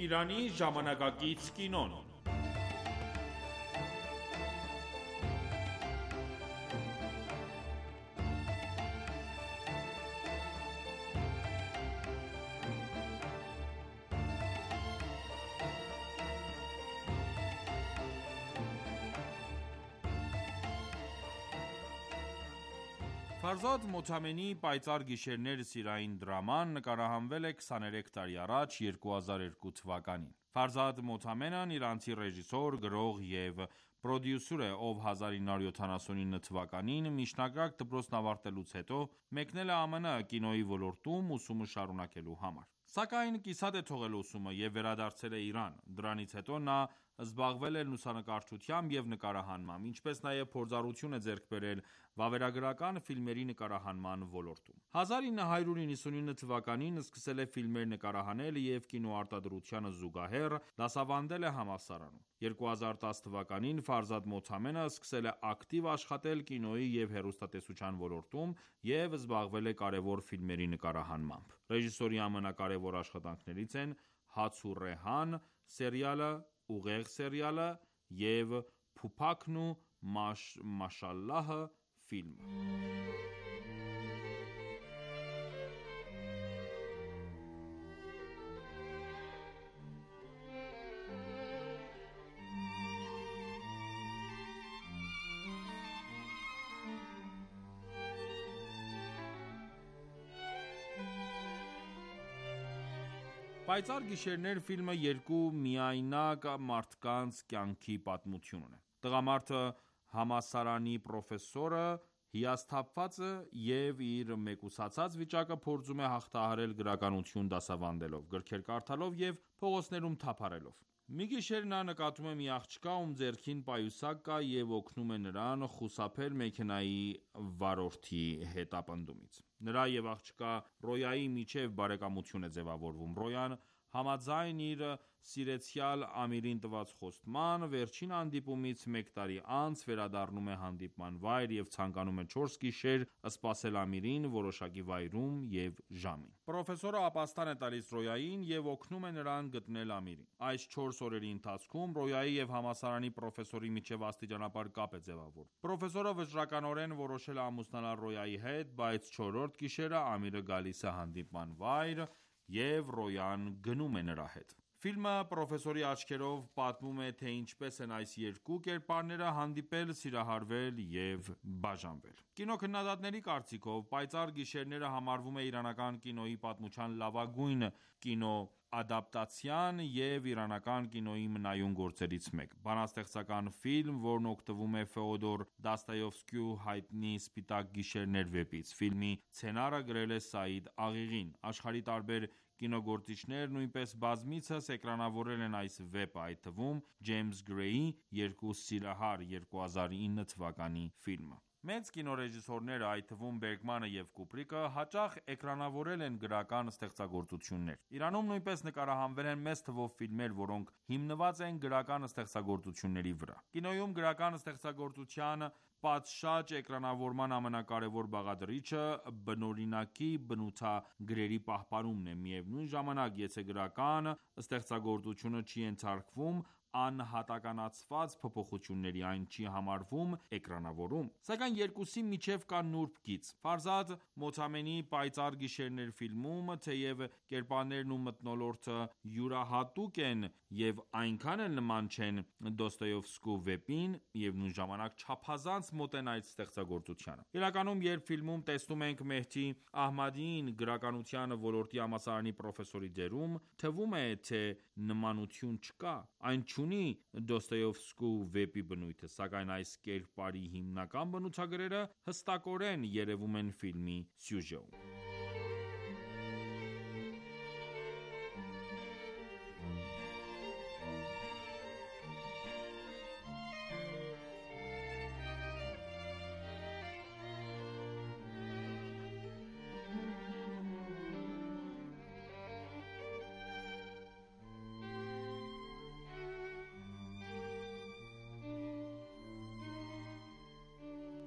Իրանի ժամանակակից կինոն։ Ֆարզադ Մոթամենի «Պայծառ գիշերներ» սիրային դրաման նկարահանվել է 23 տարի առաջ՝ 2002 թվականին։ Ֆարզադ Մոթամենն իրանցի ռեժիսոր, գրող և պրոդյուսեր է, ով 1979 թվականին միջնակարգ դպրոցն ավարտելուց հետո մեկնել է ԱՄՆ կինոյի ոլորտում ուսումը շարունակելու համար։ Սակայն կիսատ է թողել ուսումը և վերադարձել է Իրան։ Դրանից հետո նա զբաղվել է լուսանկարչությամբ և նկարահանմամբ, ինչպես նաև փորձառություն է ձեռք բերել վավերագրական ֆիլմերի նկարահանման ոլորտում։ 1999 թվականին սկսել է ֆիլմեր նկարահանել և կինոարտադրությանը զուգահեռ դասավանդել է համալսարանում։ 2010 թվականին Ֆարզադ Մոթամենը սկսել է ակտիվ աշխատել կինոյի և հեռուստատեսության ոլորտում և զբաղվել է կարևոր ֆիլմերի նկարահանմամբ։ Ռեժիսորի ամենակարևոր աշխատանքներից են «Հաց ու Ռեհան» սերիալը, «Ուղեղ» սերիալը և «Փուփաքն ու Մաշալլահը» ֆիլմը։ Պայծառ գիշերներ ֆիլմը երկու միայնակ մարդկանց կյանքի պատմությունն է։ Տղամարդը համալսարանի պրոֆեսորը հիասթափված և իր մեկուսացած վիճակը փորձում է հաղթահարել գրականություն դասավանդելով, գրքեր կարդալով և փողոցներում թափառելով։ Մի գիշեր նա նկատում է մի աղջկա, ում ձեռքին պայուսակ կա և օգնում է նրան խուսափել մեքենայի վարորդի հետապնդումից։ Նրա և աղջկա Ռոյայի միջև բարեկամություն է ձևավորվում։ Ռոյան համաձայն իր սիրեցյալ Ամիրին տված խոստման, վերջին հանդիպումից մեկ տարի անց վերադառնում է հանդիպման վայր և ցանկանում է 4 գիշեր սպասել Ամիրին որոշակի վայրում և ժամին։ Պրոֆեսորը ապաստան է տալիս Ռոյային և օգնում է նրան գտնել Ամիրին։ Այս 4 օրերի ընթացքում Ռոյայի և համալսարանի պրոֆեսորի միջև աստիճանաբար կապ է ձևավորվում։ Պրոֆեսորը վճռականորեն որոշել է ամուսնանալ Ռոյայի հետ, բայց 4-րդ գիշերը Ամիրը գալիս է հանդիպման վայր, և Ռոյան գնում է նրա հետ։ Ֆիլմը պրոֆեսորի աչքերով պատմում է, թե ինչպես են այս երկու կերպարները հանդիպել, սիրահարվել և բաժանվել։ Կինոքննադատների կարծիքով, «Պայծառ գիշերները» համարվում է իրանական կինոյի պատմության լավագույն կինոադապտացիան և իրանական կինոյի մնայուն գործերից մեկը։ Բանաստեղծական ֆիլմ, որն օգտվում է Ֆեոդոր Դոստոևսկիու հայտնի «Սպիտակ գիշերներ» վեպից։ Ֆիլմի սցենարը գրել է Սաիդ Աղիղին։ Աշխարհի տարբեր կինոգործիչներ նույնպես բազմիցս էկրանավորել են այս վեպը, այդ թվում Ջեյմս Գրեյի «Երկու սիրահար» 2009 թվականի ֆիլմը։ Մեծ կինոռեժիսորները, այդ թվում Բերգմանը և Կուբրիկը, հաճախ էկրանավորել են գրական ստեղծագործություններ։ Իրանում նույնպես նկարահանվել են մեծ թվով ֆիլմեր, որոնք հիմնված են գրական ստեղծագործությունների վրա։ Կինոյում գրական ստեղծագործության պատշաճ էկրանավորման ամենակարևոր բաղադրիչը բնօրինակի բնութագրերի պահպանումն է։ Միևնույն ժամանակ, եթե գրական ստեղծագործությունը չի ենթարկվում անհատականացված փոփոխությունների, այն չի համարվում էկրանավորում։ Սակայն երկուսի միջև կա նուրբ գիծ։ Ֆարզադ Մոթամենի «Պայծառ գիշերներ» ֆիլմում, թեև կերպարներն ու մթնոլորտը յուրահատուկ են և այնքան էլ նման չեն Դոստոևսկու վեպին, միևնույն ժամանակ չափազանց մոտ են այդ ստեղծագործությանը։ Իրականում, երբ ֆիլմում տեսնում ենք Մեհդի Ահմադիին գրականության ոլորտի համալսարանի պրոֆեսորի դերում, թվում է, թե նմանություն չկա։ Այն չունի Դոստոևսկու վեպի բնույթը, սակայն այս կերպարի հիմնական բնութագրերը հստակորեն երևում են ֆիլմի սյուժեում։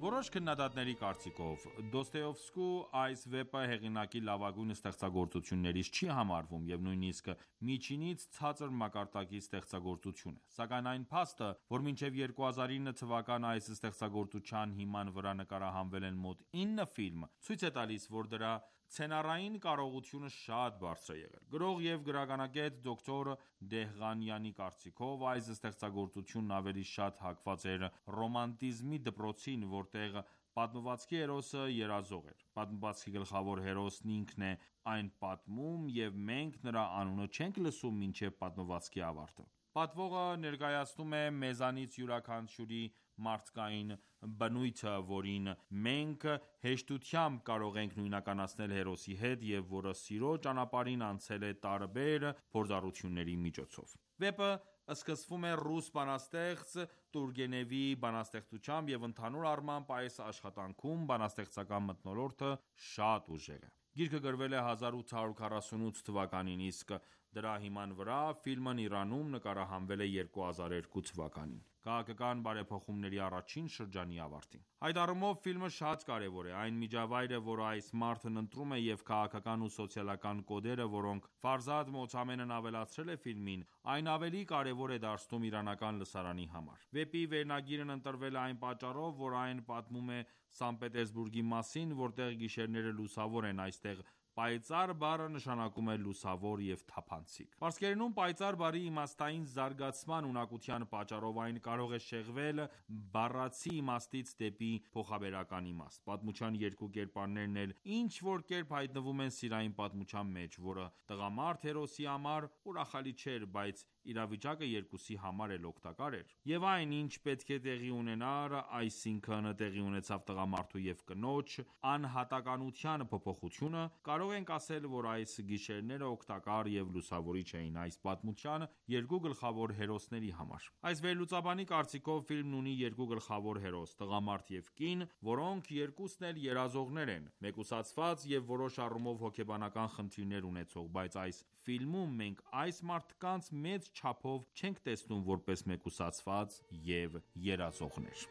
Որոշ քննադատների կարծիքով, Դոստոևսկու այս վեպը հեղինակի լավագույն ստեղծագործություններից չի համարվում և նույնիսկ միջինից ցածր մակարդակի ստեղծագործություն է։ Սակայն այն փաստը, որ մինչև 2009 թվական այս ստեղծագործության հիման վրա նկարահանվել են մոտ 9 ֆիլմ, ցույց է տալիս, որ դրա սցենարային կարողությունը շատ բարձր է եղել։ Գրող և գրականագետ դոկտոր Դեհղանյանի կարծիքով, այս ստեղծագործությունն ավելի շատ հակված էր ռոմանտիզմի դպրոցին, որտեղ պատմվածքի հերոսը երազող էր։ Պատմվածքի գլխավոր հերոսն ինքն է այն պատմում, և մենք նրա անունը չենք լսում մինչև պատմվածքի ավարտը։ Պատվողը ներկայացնում է մեզանից յուրաքանչյուրի մարդկային բնույթը, որին մենք հեշտությամբ կարող ենք նույնականացնել հերոսի հետ և որը սիրո ճանապարհին անցել է տարբեր փորձառությունների միջոցով։ Վեպը սկսվում է ռուս բանաստեղծ Տուրգենևի բանաստեղծությամբ և ընդհանուր առմամբ այս աշխատանքում բանաստեղծական մթնոլորտը շատ ուժեղ է։ Գիրքը գրվել է 1848 թվականին, իսկ դրա հիման վրա ֆիլմն Իրանում նկարահանվել է 2002 թվականին՝ քաղաքական բարեփոխումների առաջին շրջանի ավարտին։ Այդ առումով ֆիլմը շատ կարևոր է։ Այն միջավայրը, որը այս մարդն ընտրում է և քաղաքական ու սոցիալական կոդերը, որոնք Ֆարզադ Մոթամենն ավելացրել է ֆիլմին, այն ավելի կարևոր է դարձնում իրանական լսարանի համար։ Վեպի վերնագիրն ընտրվել է այն պատճառով, որ այն պատմում է Սանկտ Պետերսբուրգի մասին, որտեղ գիշերները լուսավոր են։ Այստեղ պայծառ բառը նշանակում է լուսավոր և թափանցիկ։ Պարսկերենում պայծառ բառի իմաստային զարգացման ունակության պատճառով այն կարող է շեղվել բառացի իմաստից դեպի փոխաբերական իմաստ։ Պատմության երկու կերպարներն էլ ինչ-որ կերպ հայտնվում են սիրային պատմության մեջ, որը տղամարդ հերոսի համար ուրախալի չէր, բայց իրավիճակը երկուսի համար էլ օգտակար էր։ Եվ այն, ինչ պետք է տեղի ունենար, այսինքն տեղի ունեցավ տղամարդու և կնոջ անհատականության փոփոխությունը, կարող ենք ասել, որ այս գիշերները օգտակար և լուսավորիչ էին այս պատմության երկու գլխավոր հերոսների համար։ Այս վերլուծաբանի կարծիքով ֆիլմն ունի երկու գլխավոր հերոս՝ տղամարդ և կին, որոնք երկուսն էլ երազողներ են, մեկուսացված և որոշ առումով հոգեբանական խնդիրներ ունեցող, բայց այս ֆիլմում մենք այս մարդկանց մեծ չափով չենք տեսնում որպես մեկուսացված և երազողներ։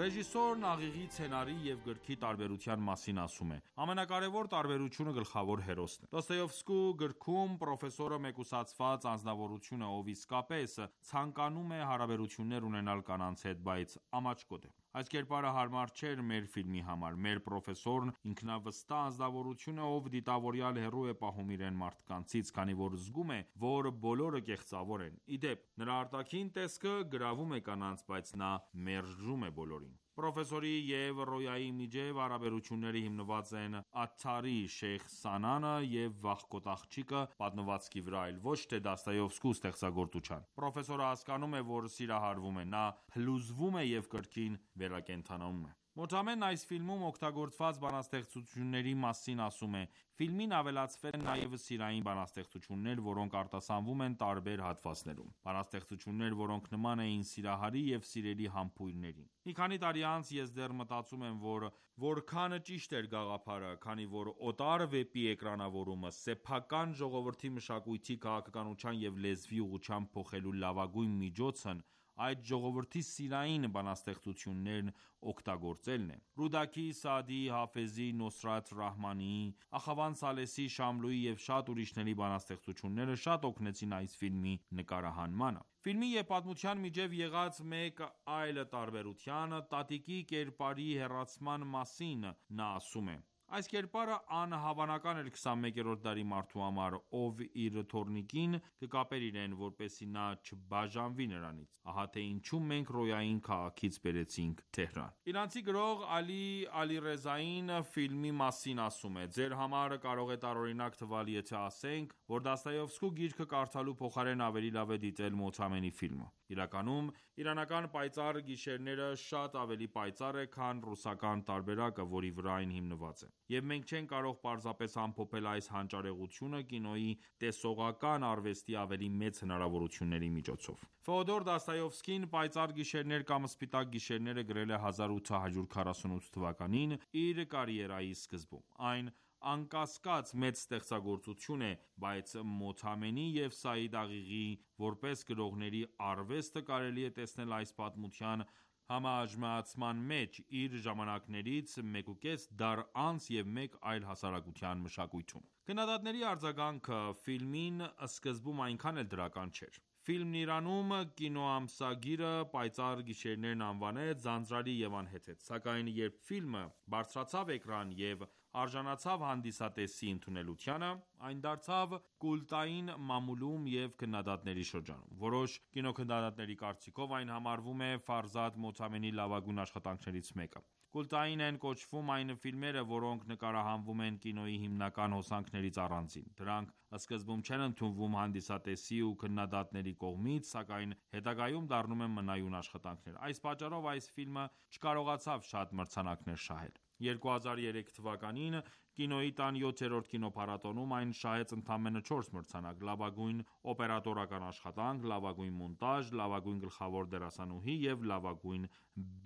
Ռեժիսորն աղիղի սցենարի և գրքի տարբերության մասին ասում է. «Ամենակարևոր տարբերությունը գլխավոր հերոսն է»։ Դոստոևսկու գրքում պրոֆեսորը մեկուսացված անձնավորություն է, ով իսկապես ցանկանում է հարաբերություններ ունենալ կանանց հետ, բայց ամաչկոտ է։ Այս կերպարը հարմար չէր մեր ֆիլմի համար։ Մեր պրոֆեսորն ինքնավստահ անձնավորություն է, ով դիտավորյալ հեռու է պահում իրեն մարդկանցից, քանի որ զգում է, որ բոլորը կեղծավոր են։ Ի դեպ, նրա արտաքին տեսքը գրավում է կանանց, բայց նա մերժում է բոլորին։ Պրոֆեսորի և Ռոյայի միջև հարաբերությունները հիմնված են Աթթարի «Շեյխ Սանանը» և «Վախկոտ աղջիկը» պատմվածքի վրա, այլ ոչ թե Դոստոևսկու ստեղծագործության։ Պրոֆեսորը հասկանում է, որ սիրահարվում է, նա փլուզվում է և կրկին վերակենդանանում է։ Մոթամեն այս ֆիլմում օգտագործված բանաստեղծությունների մասին ասում է. «Ֆիլմին ավելացվել են նաև սիրային բանաստեղծություններ, որոնք արտասանվում են տարբեր հատվածներում։ Բանաստեղծություններ, որոնք նման էին Սիրահարի և Սիրելի համբույրներին։ Մի քանի տարի անց ես դեռ մտածում եմ, որ որքան ճիշտ էր գաղափարը, քանի որ օտար վեպի էկրանավորումը սեփական ժողովրդի մշակույթի, քաղաքականության և լեզվի ուղղությամբ փոխելու լավագույն միջոցն այդ ժողովրդի սիրային բանաստեղծություններն օգտագործելն է։ Ռուդաքի, Սաադիի, Հաֆեզի, Նոսրաթ Ռահմանիի, Ախավանդ Սալեսի, Շամլուի և շատ ուրիշների բանաստեղծությունները շատ օգնեցին այս ֆիլմի նկարահանմանը։ Ֆիլմի և պատմության միջև եղած մեկ այլ տարբերության՝ տատիկի կերպարի հեռացման մասին նա ասում է. «Այս կերպարը անհավանական էր 21-րդ դարի մարդու համար, ով իր թոռնիկին կկապեր իրեն, որպեսզի նա չբաժանվի նրանից։ Ահա թե ինչու մենք Ռոյային քաղաքից բերեցինք Թեհրան»։ Իրանցի գրող Ալի Ալիռեզային ֆիլմի մասին ասում է. «Ձեր համար կարող է տարօրինակ թվալ, եթե ասենք, որ Դոստոևսկու գիրքը կարդալու փոխարեն ավելի լավ է դիտել Մոթամենի ֆիլմը։ Իրականում, իրանական պայծառ գիշերները շատ ավելի պայծառ է, քան ռուսական տարբերակը, որի վրա այն հիմնված է։ Եվ մենք չենք կարող պարզապես ամփոփել այս հանճարեղությունը կինոյի տեսողական արվեստի ավելի մեծ հնարավորությունների միջոցով»։ Ֆեոդոր Դոստոևսկին «Պայծառ գիշերներ» կամ «Սպիտակ գիշերները» գրել է 1848 թվականին իր կարիերայի սկզբում։ Այն անկասկած մեծ ստեղծագործություն է, բայց Մոթամենի և Սաիդ Աղիղիի որպես գրողների արվեստը կարելի է տեսնել այս պատմության համահաշմանդման մեջ իր ժամանակներից 1.5 դար անց և մեկ այլ հասարակության մշակույթում: Քննադատների արձագանքը ֆիլմին սկզբում այնքան էլ դրական չէր: Ֆիլմն Իրանում կինոամսագիրը «Պայծառ գիշերներ»-ն անվանեց ձանձրալի և անհեթեթ: Սակայն երբ ֆիլմը բարձրացավ էկրան և արժանացավ հանդիսատեսի ընդունելությանը, այն դարձավ կուլտային մամուլում և քննադատների շրջանում: Որոշ կինոքննադատների կարծիքով այն համարվում է Ֆարզադ Մոթամենիի լավագույն աշխատանքներից մեկը: Կուլտային են կոչվում այն ֆիլմերը, որոնք նկարահանվում են կինոյի հիմնական հոսանքներից առանձին: Դրանք սկզբում չեն ընդունվում հանդիսատեսի ու քննադատների կողմից, սակայն հետագայում դառնում են մնայուն աշխատանքներ: Այս պատճառով այս ֆիլմը չկարողացավ շատ մրցանակներ շահել: 2003 թվականին Կինոյի տան 7-րդ կինոփառատոնում այն շահեց ընդամենը 4 մրցանակ՝ լավագույն օպերատորական աշխատանք, լավագույն մոնտաժ, լավագույն գլխավոր դերասանուհի և լավագույն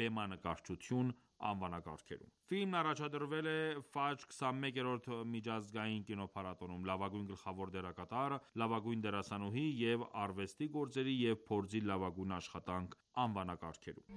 բեմանկարչություն անվանակարգերում: Ֆիլմն առաջադրվել է Ֆաջր 21-րդ միջազգային կինոփառատոնում՝ լավագույն գլխավոր դերակատար, լավագույն դերասանուհի և արվեստի գործերի և փորձի լավագույն աշխատանք անվանակարգերում: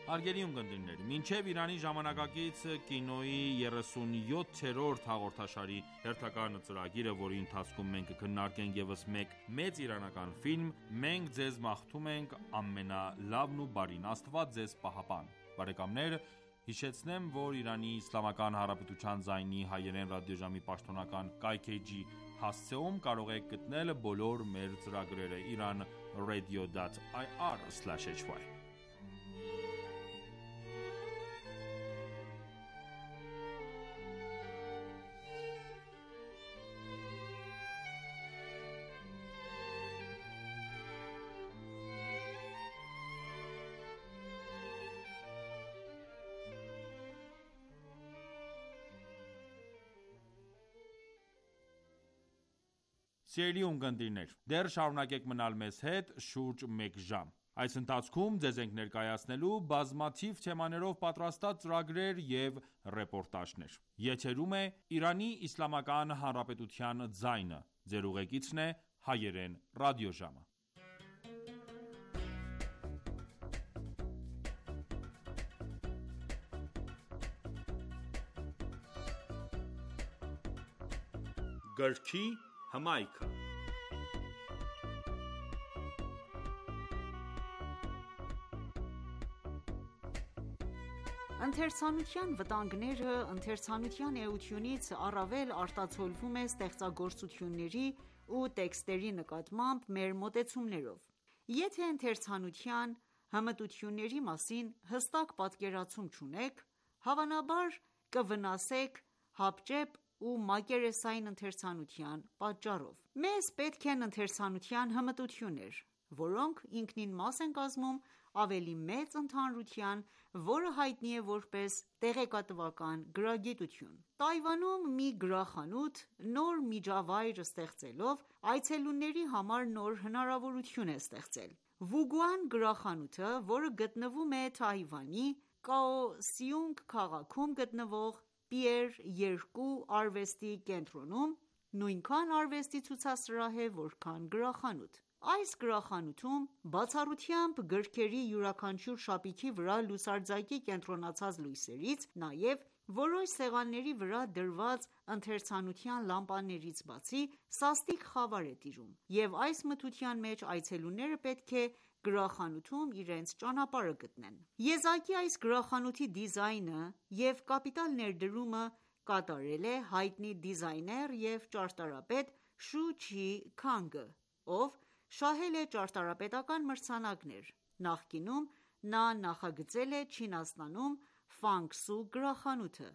Հարգելի ունկնդիրներ, մինչև Իրանի ժամանակակից կինոյի 37-րդ հաղորդաշարի հերթական ծրագիրը, որի ընթացքում մենք կքննարկենք ևս մեկ մեծ իրանական ֆիլմ, մենք ձեզ մաղթում ենք ամենալավն ու բարին: Աստված ձեզ պահապան: Բարեկամներ հիշեցնեմ, որ Իրանի Իսլամական Հանրապետության ձայնի հայերեն ռադիոժամի պաշտոնական կայքէջի հասցեում կարող եք գտնել բոլոր մեր ծրագրերը iranradio.ir/hy: Սիրելի ունկնդիրներ, դեռ շարունակեք մնալ մեզ հետ շուրջ մեկ ժամ: Այս ընթացքում ձեզ ենք ներկայացնելու բազմաթիվ թեմաներով պատրաստած ծրագրեր և ռեպորտաժներ: Եթերում է «Իրանի Իսլամական Հանրապետության ձայնը», Ձեր ուղեկիցն է հայերեն ռադիոժամը: Գրքի հմայքը Ընթերցանության վտանգները ընթերցանության էությունից առավել արտացոլվում է ստեղծագործությունների ու տեքստերի նկատմամբ մեր մոտեցումներով: Եթե ընթերցանության հմտությունների մասին հստակ պատկերացում չունեք, հավանաբար կվնասեք հապճեպ ու մակերեսային ընթերցանության պատճառով: Մեզ պետք են ընթերցանության հմտություններ, որոնք ինքնին մաս են կազմում ավելի մեծ ընդհանրության, որը հայտնի է որպես տեղեկատվական գրագիտություն: Թայվանում մի գրախանութ նոր միջավայր ստեղծելով, այցելուների համար նոր հնարավորություն է ստեղծել: Վուգուան գրախանութը, որը գտնվում է Թայվանի Կաօսյունգ քաղաքում գտնվող Պիեր 2 արվեստի կենտրոնում, նույնքան արվեստի ցուցասրահ է, որքան գրախանութ: Այս գրախանութում բացառությամբ գրքերի յուրաքանչյուր շապիկի վրա լուսարձակի կենտրոնացած լույսերից, նաև որոշ սեղանների վրա դրված ընթերցանության լամպաներից բացի, սաստիկ խավար է տիրում, և այս մթության մեջ այցելուները պետք է գրախանութում իրենց ճանապարհը գտնեն: Եզակի այս գրախանութի դիզայնը և կապիտալ ներդրումը կատարել է հայտնի դիզայներ և ճարտարապետ Շու Չի Քանգը, ով շահել է ճարտարապետական մրցանակներ: Նախկինում նա նախագծել է Չինաստանում Ֆանգ Սու գրախանութը,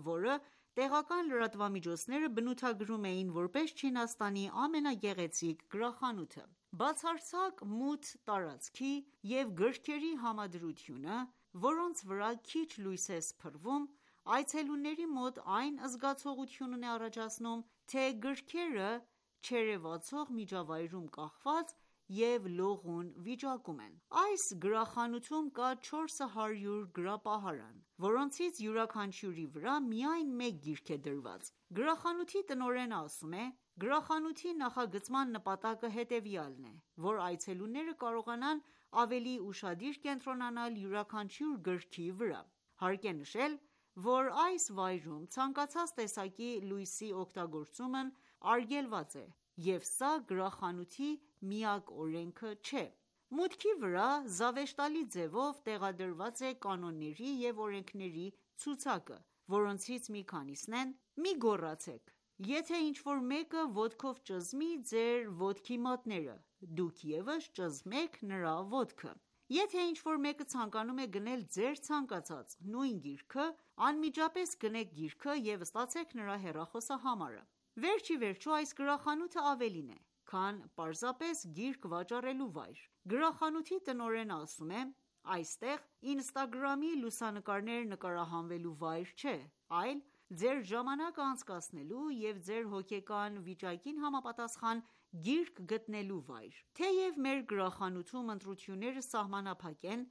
որը տեղական լրատվամիջոցները բնութագրում էին որպես Չինաստանի ամենագեղեցիկ գրախանութը։ Բացարձակ մութ տարածքի և գրքերի համադրությունը, որոնց վրա քիչ լույս է սփռվում, այցելուների մոտ այն զգացողությունն է առաջացնում, թե գրքերը չերևացող միջավայրում կախված և լողուն վիճակում են։ Այս գրախանութում կա 400 գրապահարան, որոնցից յուրաքանչյուրի վրա միայն մեկ գիրք է դրված։ Գրախանութի տնօրենը ասում է.«Գրախանութի նախագծման նպատակը հետևյալն է, որ այցելուները կարողանան ավելի ուշադիր կենտրոնանալ յուրաքանչյուր գրքի վրա։ Հարկ է նշել, որ այս վայրում ցանկացած տեսակի լույսի օգտագործումն արգելված է, և սա գրախանութի միակ օրենքը չէ»։ Մուտքի վրա զավեշտալի ձևով տեղադրված է կանոնների և օրենքների ցուցակը, որոնցից մի քանիսն են. Մի գոռացեք, եթե ինչ-որ մեկը ոտքով ճզմի ձեր ոտքի մատները, դուք ևս ճզմեք նրա ոտքը: Եթե ինչ-որ մեկը ցանկանում է գնել ձեր ցանկացած նույն գիրքը, անմիջապես գնեք գիրքը և ստացեք նրա հեռախոսահամարը: Վերջիվերջո, այս գրախանութը ավելին է, քան պարզապես գիրք վաճառելու վայր։ Գրախանութի տնօրենը ասում է.«Այստեղ Instagram-ի լուսանկարներ նկարահանվելու վայր չէ, այլ ձեր ժամանակը անցկացնելու և ձեր հոգեկան վիճակին համապատասխան գիրք գտնելու վայր։ Թեև մեր գրախանութում ընտրությունները սահմանափակ են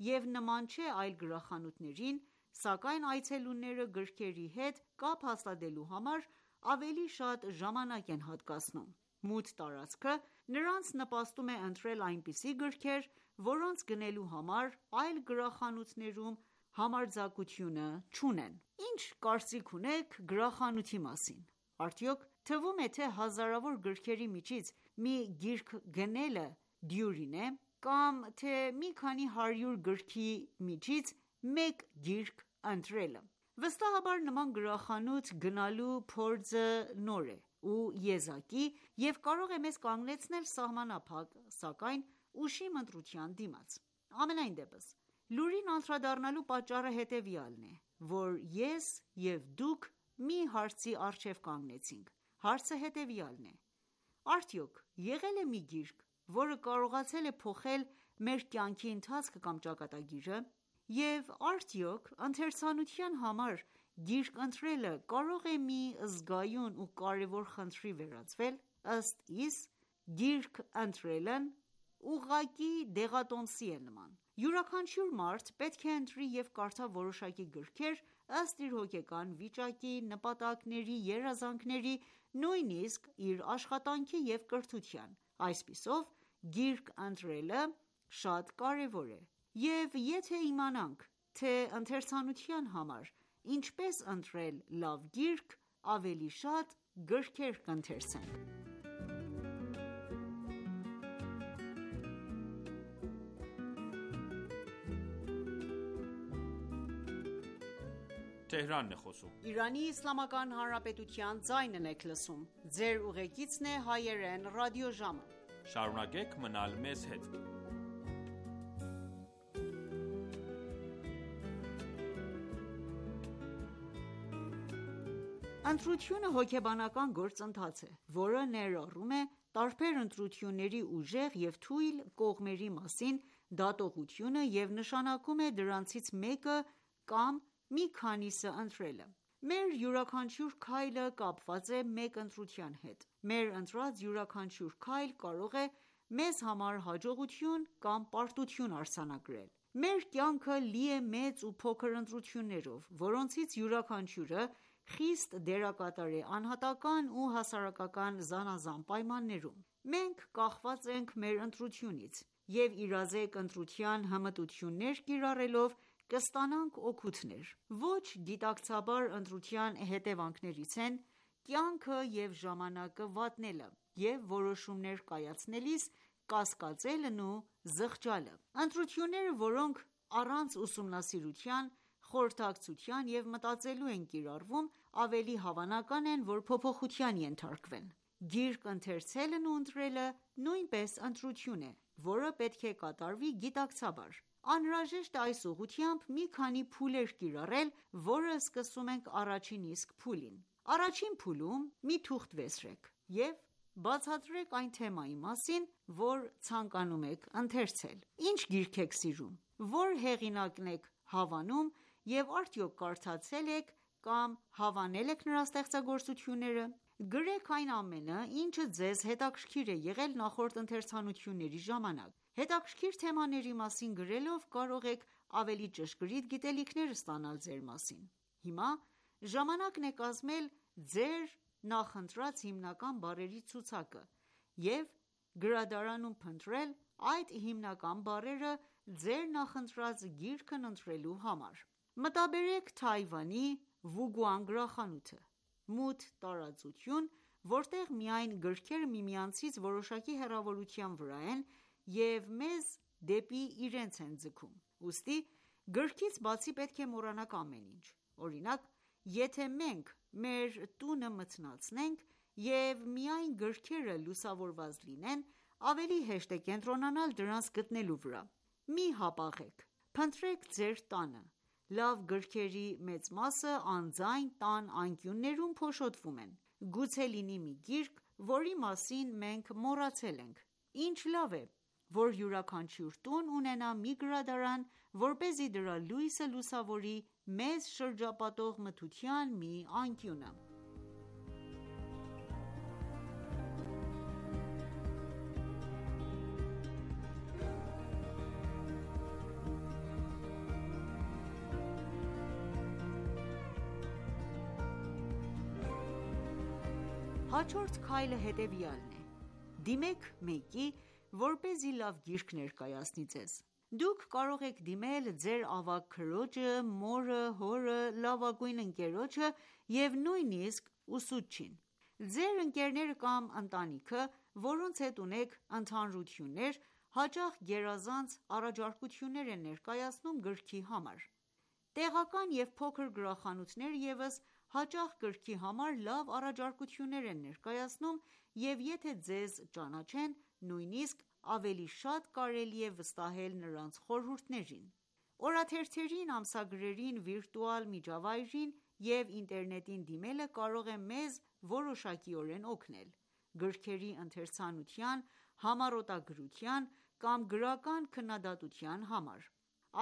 և նման չէ այլ գրախանութներին, սակայն այցելուները գրքերի հետ կապ հաստատելու համար ավելի շատ ժամանակ են հատկացնում։ Մութ տարածքը նրանց նպաստում է ընտրել այնպիսի գրքեր, որոնց գնելու համար այլ գրախանութներում համարձակությունը չունեն։ Ինչ կարծիք ունեք գրախանութի մասին: Արդյոք թվում է, թե հազարավոր գրքերի միջից մի գիրք գնելը դյուրին է, կամ թե մի քանի հարյուր գրքի միջից մեկ գիրք ընտրելը: Վստահաբար նման գրախանութ գնալու փորձը նոր է ու եզակի և կարող է մեզ կանգնեցնել սահմանափակ, սակայն ուշիմ ընտրության դիմաց: Համենայն դեպս, լուրին անդրադառնալու պատճառը հետևյալն է, որ ես և դուք մի հարցի առջև կանգնեցինք: Հարցը հետևյալն է. արդյոք եղե՞լ է մի գիրք, որը կարողացել է փոխել մեր կյանքի ընթացքը կամ ճակատագիրը: Եվ արդյոք ընթերցանության համար գիրք ընտրելը կարող է մի զգայուն ու կարևոր խնդրի վերածվել: Ըստ իս, գիրք ընտրելն ուղղակի դեղատոմսի է նման: Յուրաքանչյուր մարդ պետք է ընտրի և կարդա որոշակի գրքեր ըստ իր հոգեկան վիճակի, նպատակների, երազանքների, նույնիսկ իր աշխատանքի և կրթության: Այսպիսով, գիրք ընտրելը շատ կարևոր է: Եվ եթե իմանանք, թե ընթերցանության համար ինչպես ընտրել լավ գիրք, ավելի շատ գրքեր կընթերցենք: Ընտրությունը հոգեբանական գործընթաց է, որը ներառում է տարբեր ընտրությունների ուժեղ և թույլ կողմերի մասին դատողությունը և նշանակում է դրանցից մեկը կամ մի քանիսը ընտրելը: Մեր յուրաքանչյուր քայլը կապված է մեկ ընտրության հետ: Մեր ընտրած յուրաքանչյուր քայլ կարող է մեզ համար հաջողություն կամ պարտություն արձանագրել: Մեր կյանքը լի է մեծ ու փոքր ընտրություններով, որոնցից յուրաքանչյուրը խիստ դերակատար է անհատական ու հասարակական զանազան պայմաններում: Մենք կախված ենք մեր ընտրությունից և իրազեկ ընտրության հմտություններ կիրառելով կստանանք օգուտներ: Ոչ գիտակցաբար ընտրության հետևանքներից են կյանքը և ժամանակը վատնելը և որոշումներ կայացնելիս կասկածելն ու զղջալը: Ընտրությունները, որոնք առանց ուսումնասիրության, խորհրդակցության և մտածելու են կիրառվում, ավելի հավանական են, որ փոփոխության ենթարկվեն: Գիրք ընթերցելն ու ընտրելը նույնպես ընտրություն է, որը պետք է կատարվի գիտակցաբար: Անհրաժեշտ է այս ուղղությամբ մի քանի փուլեր կիրառել, որը սկսում ենք առաջին իսկ փուլին: Առաջին փուլում մի թուղթ վերցրեք և բացատրեք այն թեմայի մասին, որ ցանկանում եք ընթերցել: Ինչ գիրք եք սիրում: Որ հեղինակն եք հավանում և արդյոք կարդացե՞լ եք կամ հավանե՞լ եք նրա ստեղծագործությունները: Գրեք այն ամենը, ինչը ձեզ հետաքրքիր է եղել նախորդ ընթերցանությունների ժամանակ: Հետաքրքիր թեմաների մասին գրելով կարող եք ավելի ճշգրիտ գիտելիքներ ստանալ ձեր մասին: Հիմա ժամանակն է կազմել ձեր նախընտրած հիմնական բառերի ցուցակը և գրադարանում փնտրել այդ հիմնական բառերը ձեր նախընտրած գիրքն ընտրելու համար: Մտաբերեք Թայվանի Վուգուան գրախանութը: Մութ տարածություն, որտեղ միայն գրքերը միմյանցից որոշակի հեռավորության վրա են և մեզ դեպի իրենց են ձգում: Ուստի գրքից բացի պետք է մոռանաք ամեն ինչ: Օրինակ, եթե մենք մեր տունը մթնացնենք և միայն գրքերը լուսավորված լինեն, ավելի հեշտ է կենտրոնանալ դրանց գտնելու վրա: Մի հապաղեք: Փնտրեք ձեր տանը: Լավ գրքերի մեծ մասը անձայն տան անկյուններում փոշոտվում են: Գուցե լինի մի գիրք, որի մասին մենք մոռացել ենք: Ինչ լավ է, որ յուրաքանչյուր տուն ունենա մի գրադարան, որպեսզի դրա լույսը լուսավորի մեզ շրջապատող մթության մի անկյունը: Հաջորդ քայլը հետևյալն է՝ դիմեք մեկի, որպեսզի լավ գիրք ներկայացնի ձեզ: Դուք կարող եք դիմել ձեր ավագ քրոջը, մորը, հորը, լավագույն ընկերոջը և նույնիսկ ուսուցչին: Ձեր ընկերները կամ ընտանիքը, որոնց հետ ունեք ընդհանրություններ, հաճախ գերազանց առաջարկություններ են ներկայացնում գրքի համար: Տեղական և փոքր գրախանութները ևս հաճախ գրքի համար լավ առաջարկություններ են ներկայացնում և եթե ձեզ ճանաչեն, նույնիսկ ավելի շատ կարելի է վստահել նրանց խորհուրդներին: Օրաթերթերին, ամսագրերին, վիրտուալ միջավայրին և ինտերնետին դիմելը կարող է մեզ որոշակիորեն օգնել: Գրքերի ընթերցանության, համառոտագրության կամ գրական քննադատության համար: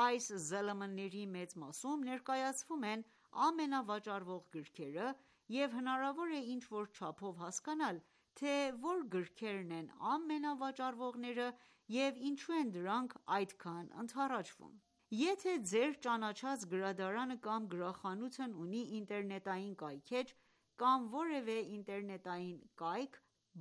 Այս ԶԼՄ-ների մեծ մասում ներկայացվում են ամենավաճառվող գրքերը և հնարավոր է ինչ-որ չափով հասկանալ, թե որ գրքերն են ամենավաճառվողները և ինչու են դրանք այդքան ընդառաջվում: Եթե ձեր ճանաչած գրադարանը կամ գրախանութն ունի ինտերնետային կայքէջ կամ որևէ ինտերնետային կայք,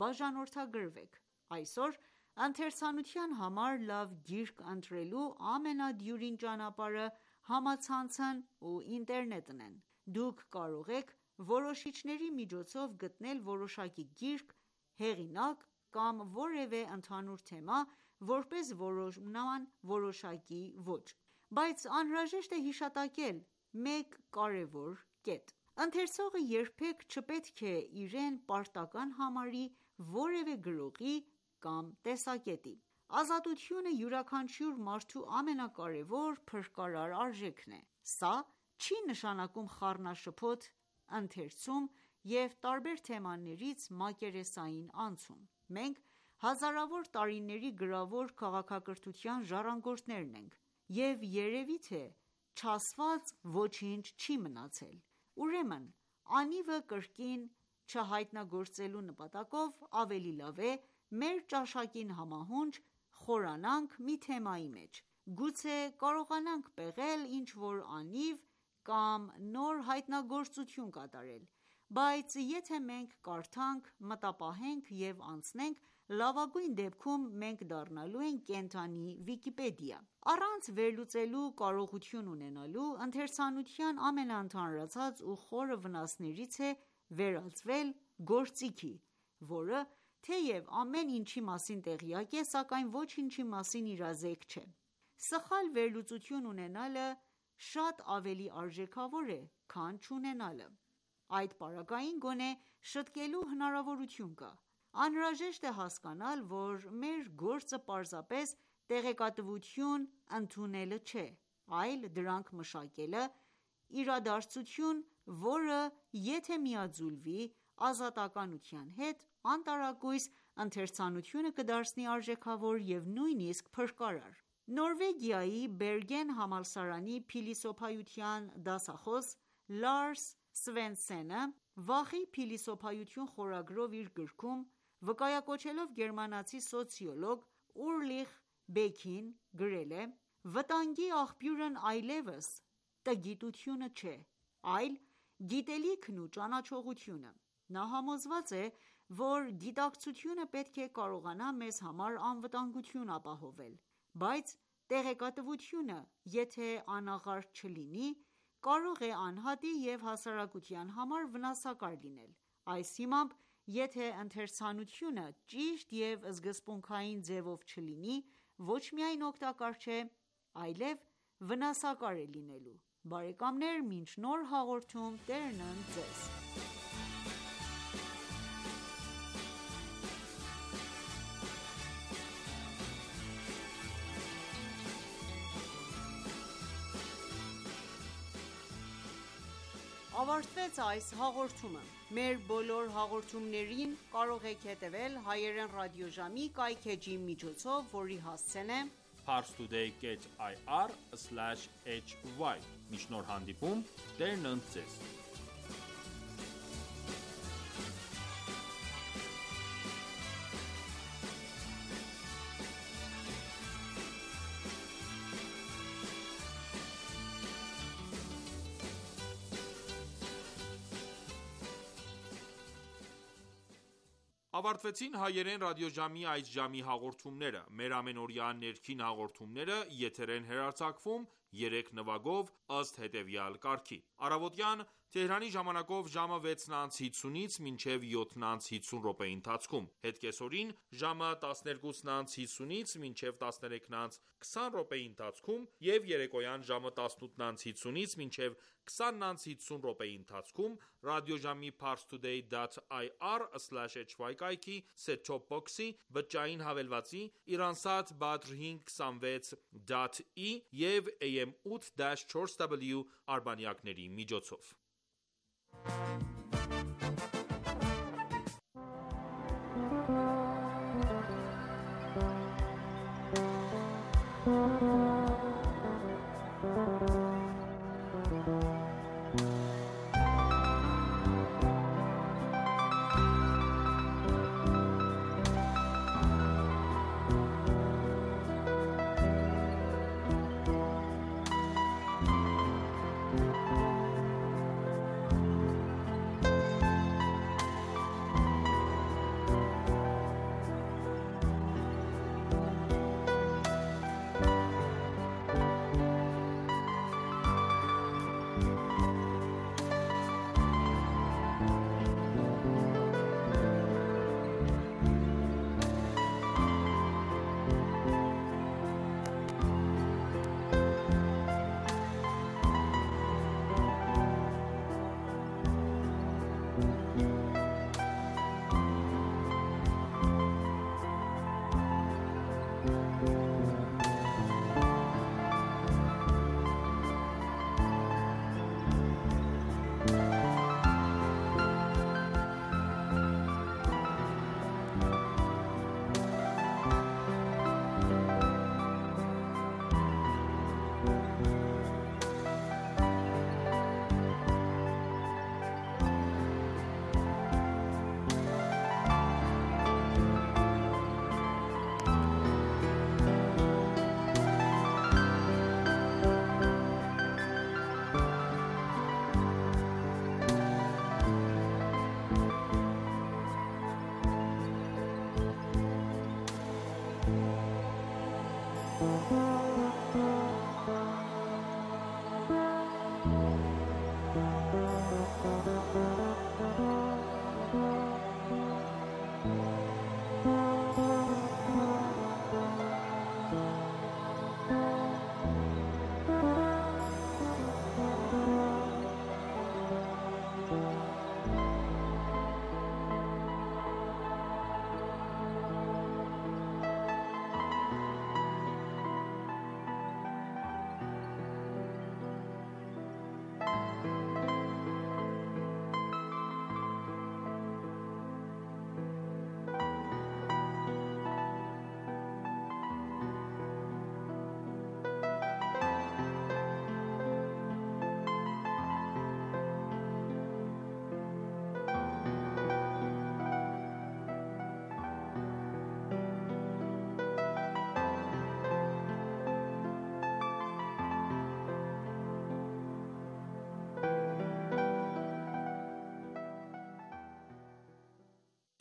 բաժանորդագրվեք: Այսօր ընթերցանության համար լավ գիրք ընտրելու ամենադյուրին ճանապարհը համացանցն ու ինտերնետն են: Դուք կարող եք որոշիչների միջոցով գտնել որոշակի գիրք, հեղինակ կամ որևէ ընդհանուր թեմա որպես որոնման որոշակի ոճ: Բայց անհրաժեշտ է հիշատակել մեկ կարևոր կետ: Ընթերցողը երբեք չպետք է իրեն պարտական համարի որևէ գրողի կամ տեսակետի: Ազատությունը յուրաքանչյուր մարդու ամենակարևոր փրկարար արժեքն է: Սա չի նշանակում խառնաշփոթ ընթերցում և տարբեր թեմաներից մակերեսային անցում: Մենք հազարավոր տարիների գրավոր քաղաքակրթության ժառանգորդներն ենք և երևի թե չասված ոչինչ չի մնացել: Ուրեմն անիվը կրկին չհայտնագործելու նպատակով ավելի լավ է մեր ճաշակին համահունչ խորանանք մի թեմայի մեջ: Գուցե կարողանանք պեղել ինչ-որ անիվ կամ նոր հայտնագործություն կատարել: Բայց եթե մենք կարդանք, մտապահենք և անցնենք, լավագույն դեպքում մենք դառնալու ենք կենդանի Վիկիպեդիա: Առանց վերլուծելու կարողություն ունենալու, ընթերցանության ամենաընդհանրացած ու խորը վնասներից է վերածվել գործիքի, որը թեև ամեն ինչի մասին տեղյակ է, սակայն ոչինչի մասին իրազեկ չէ: Սխալ վերլուծություն ունենալը շատ ավելի արժեքավոր է, քան չունենալը: Այդ պարագային գոնե շտկելու հնարավորություն կա: Անհրաժեշտ է հասկանալ, որ մեր գործը պարզապես տեղեկատվություն ընդունելը չէ, այլ դրանք մշակելը, իրադարձություն, որը եթե միաձուլվի ազատականության հետ, անտարակույս ընթերցանությունը կդարձնի արժեքավոր և նույնիսկ փրկարար: Նորվեգիայի Բերգեն համալսարանի փիլիսոփայության դասախոս Լարս Սվենսենը «Վախի փիլիսոփայություն» խորագրով իր գրքում, վկայակոչելով գերմանացի սոցիոլոգ Ուրլիխ Բեքին, գրել է. «Վտանգի աղբյուրն այլևս տգիտությունը չէ, այլ գիտելիքն ու ճանաչողությունը»: Նա համոզված է, որ գիտակցությունը պետք է կարողանա մեզ համար անվտանգություն ապահովել, բայց տեղեկատվությունը, եթե անաղարտ չլինի, կարող է անհատի և հասարակության համար վնասակար լինել: Այս հիմամբ, եթե ընթերցանությունը ճիշտ և սկզբունքային ձևով չլինի, ոչ միայն օգտակար չէ, այլև վնասակար է լինելու: Բարեկամներ մինչ նոր հաղորդում Տերն ընդ Ձեզ: Ավարտվեց այս հաղորդումը: Մեր բոլոր հաղորդումներին կարող եք հետևել հայերեն ռադիոժամի կայքէջի միջոցով, որի հասցեն է parstoday.ir/hy: Մինչ նոր հանդիպում, Տերն ընդ Ձեզ: Ավարտվեցին հայերեն ռադիոժամի այս ժամի հաղորդումները: Մեր ամենօրյա ներքին հաղորդումները եթեր են հեռարձակվում 3 նվագով ըստ հետևյալ կարգի: Առավոտյան Թեհրանի ժամանակով ժամը 6:50-ից մինչև 7:50 ընթացքում, հետ կեսօրին ժամը 12:50-ից մինչև 13:20 ընթացքում և երեկոյան ժամը 18:50-ից մինչև 20:50 ընթացքում ռադիոժամի parstoday.ir/hy կայքի set-top box-ի, բջջային հավելվածի, Iransat Badr 526.E և AM 8-4W արբանյակների միջոցով: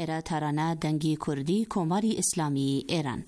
էրաթարանա դանգի քուրդի կոմարի իսլամի էրան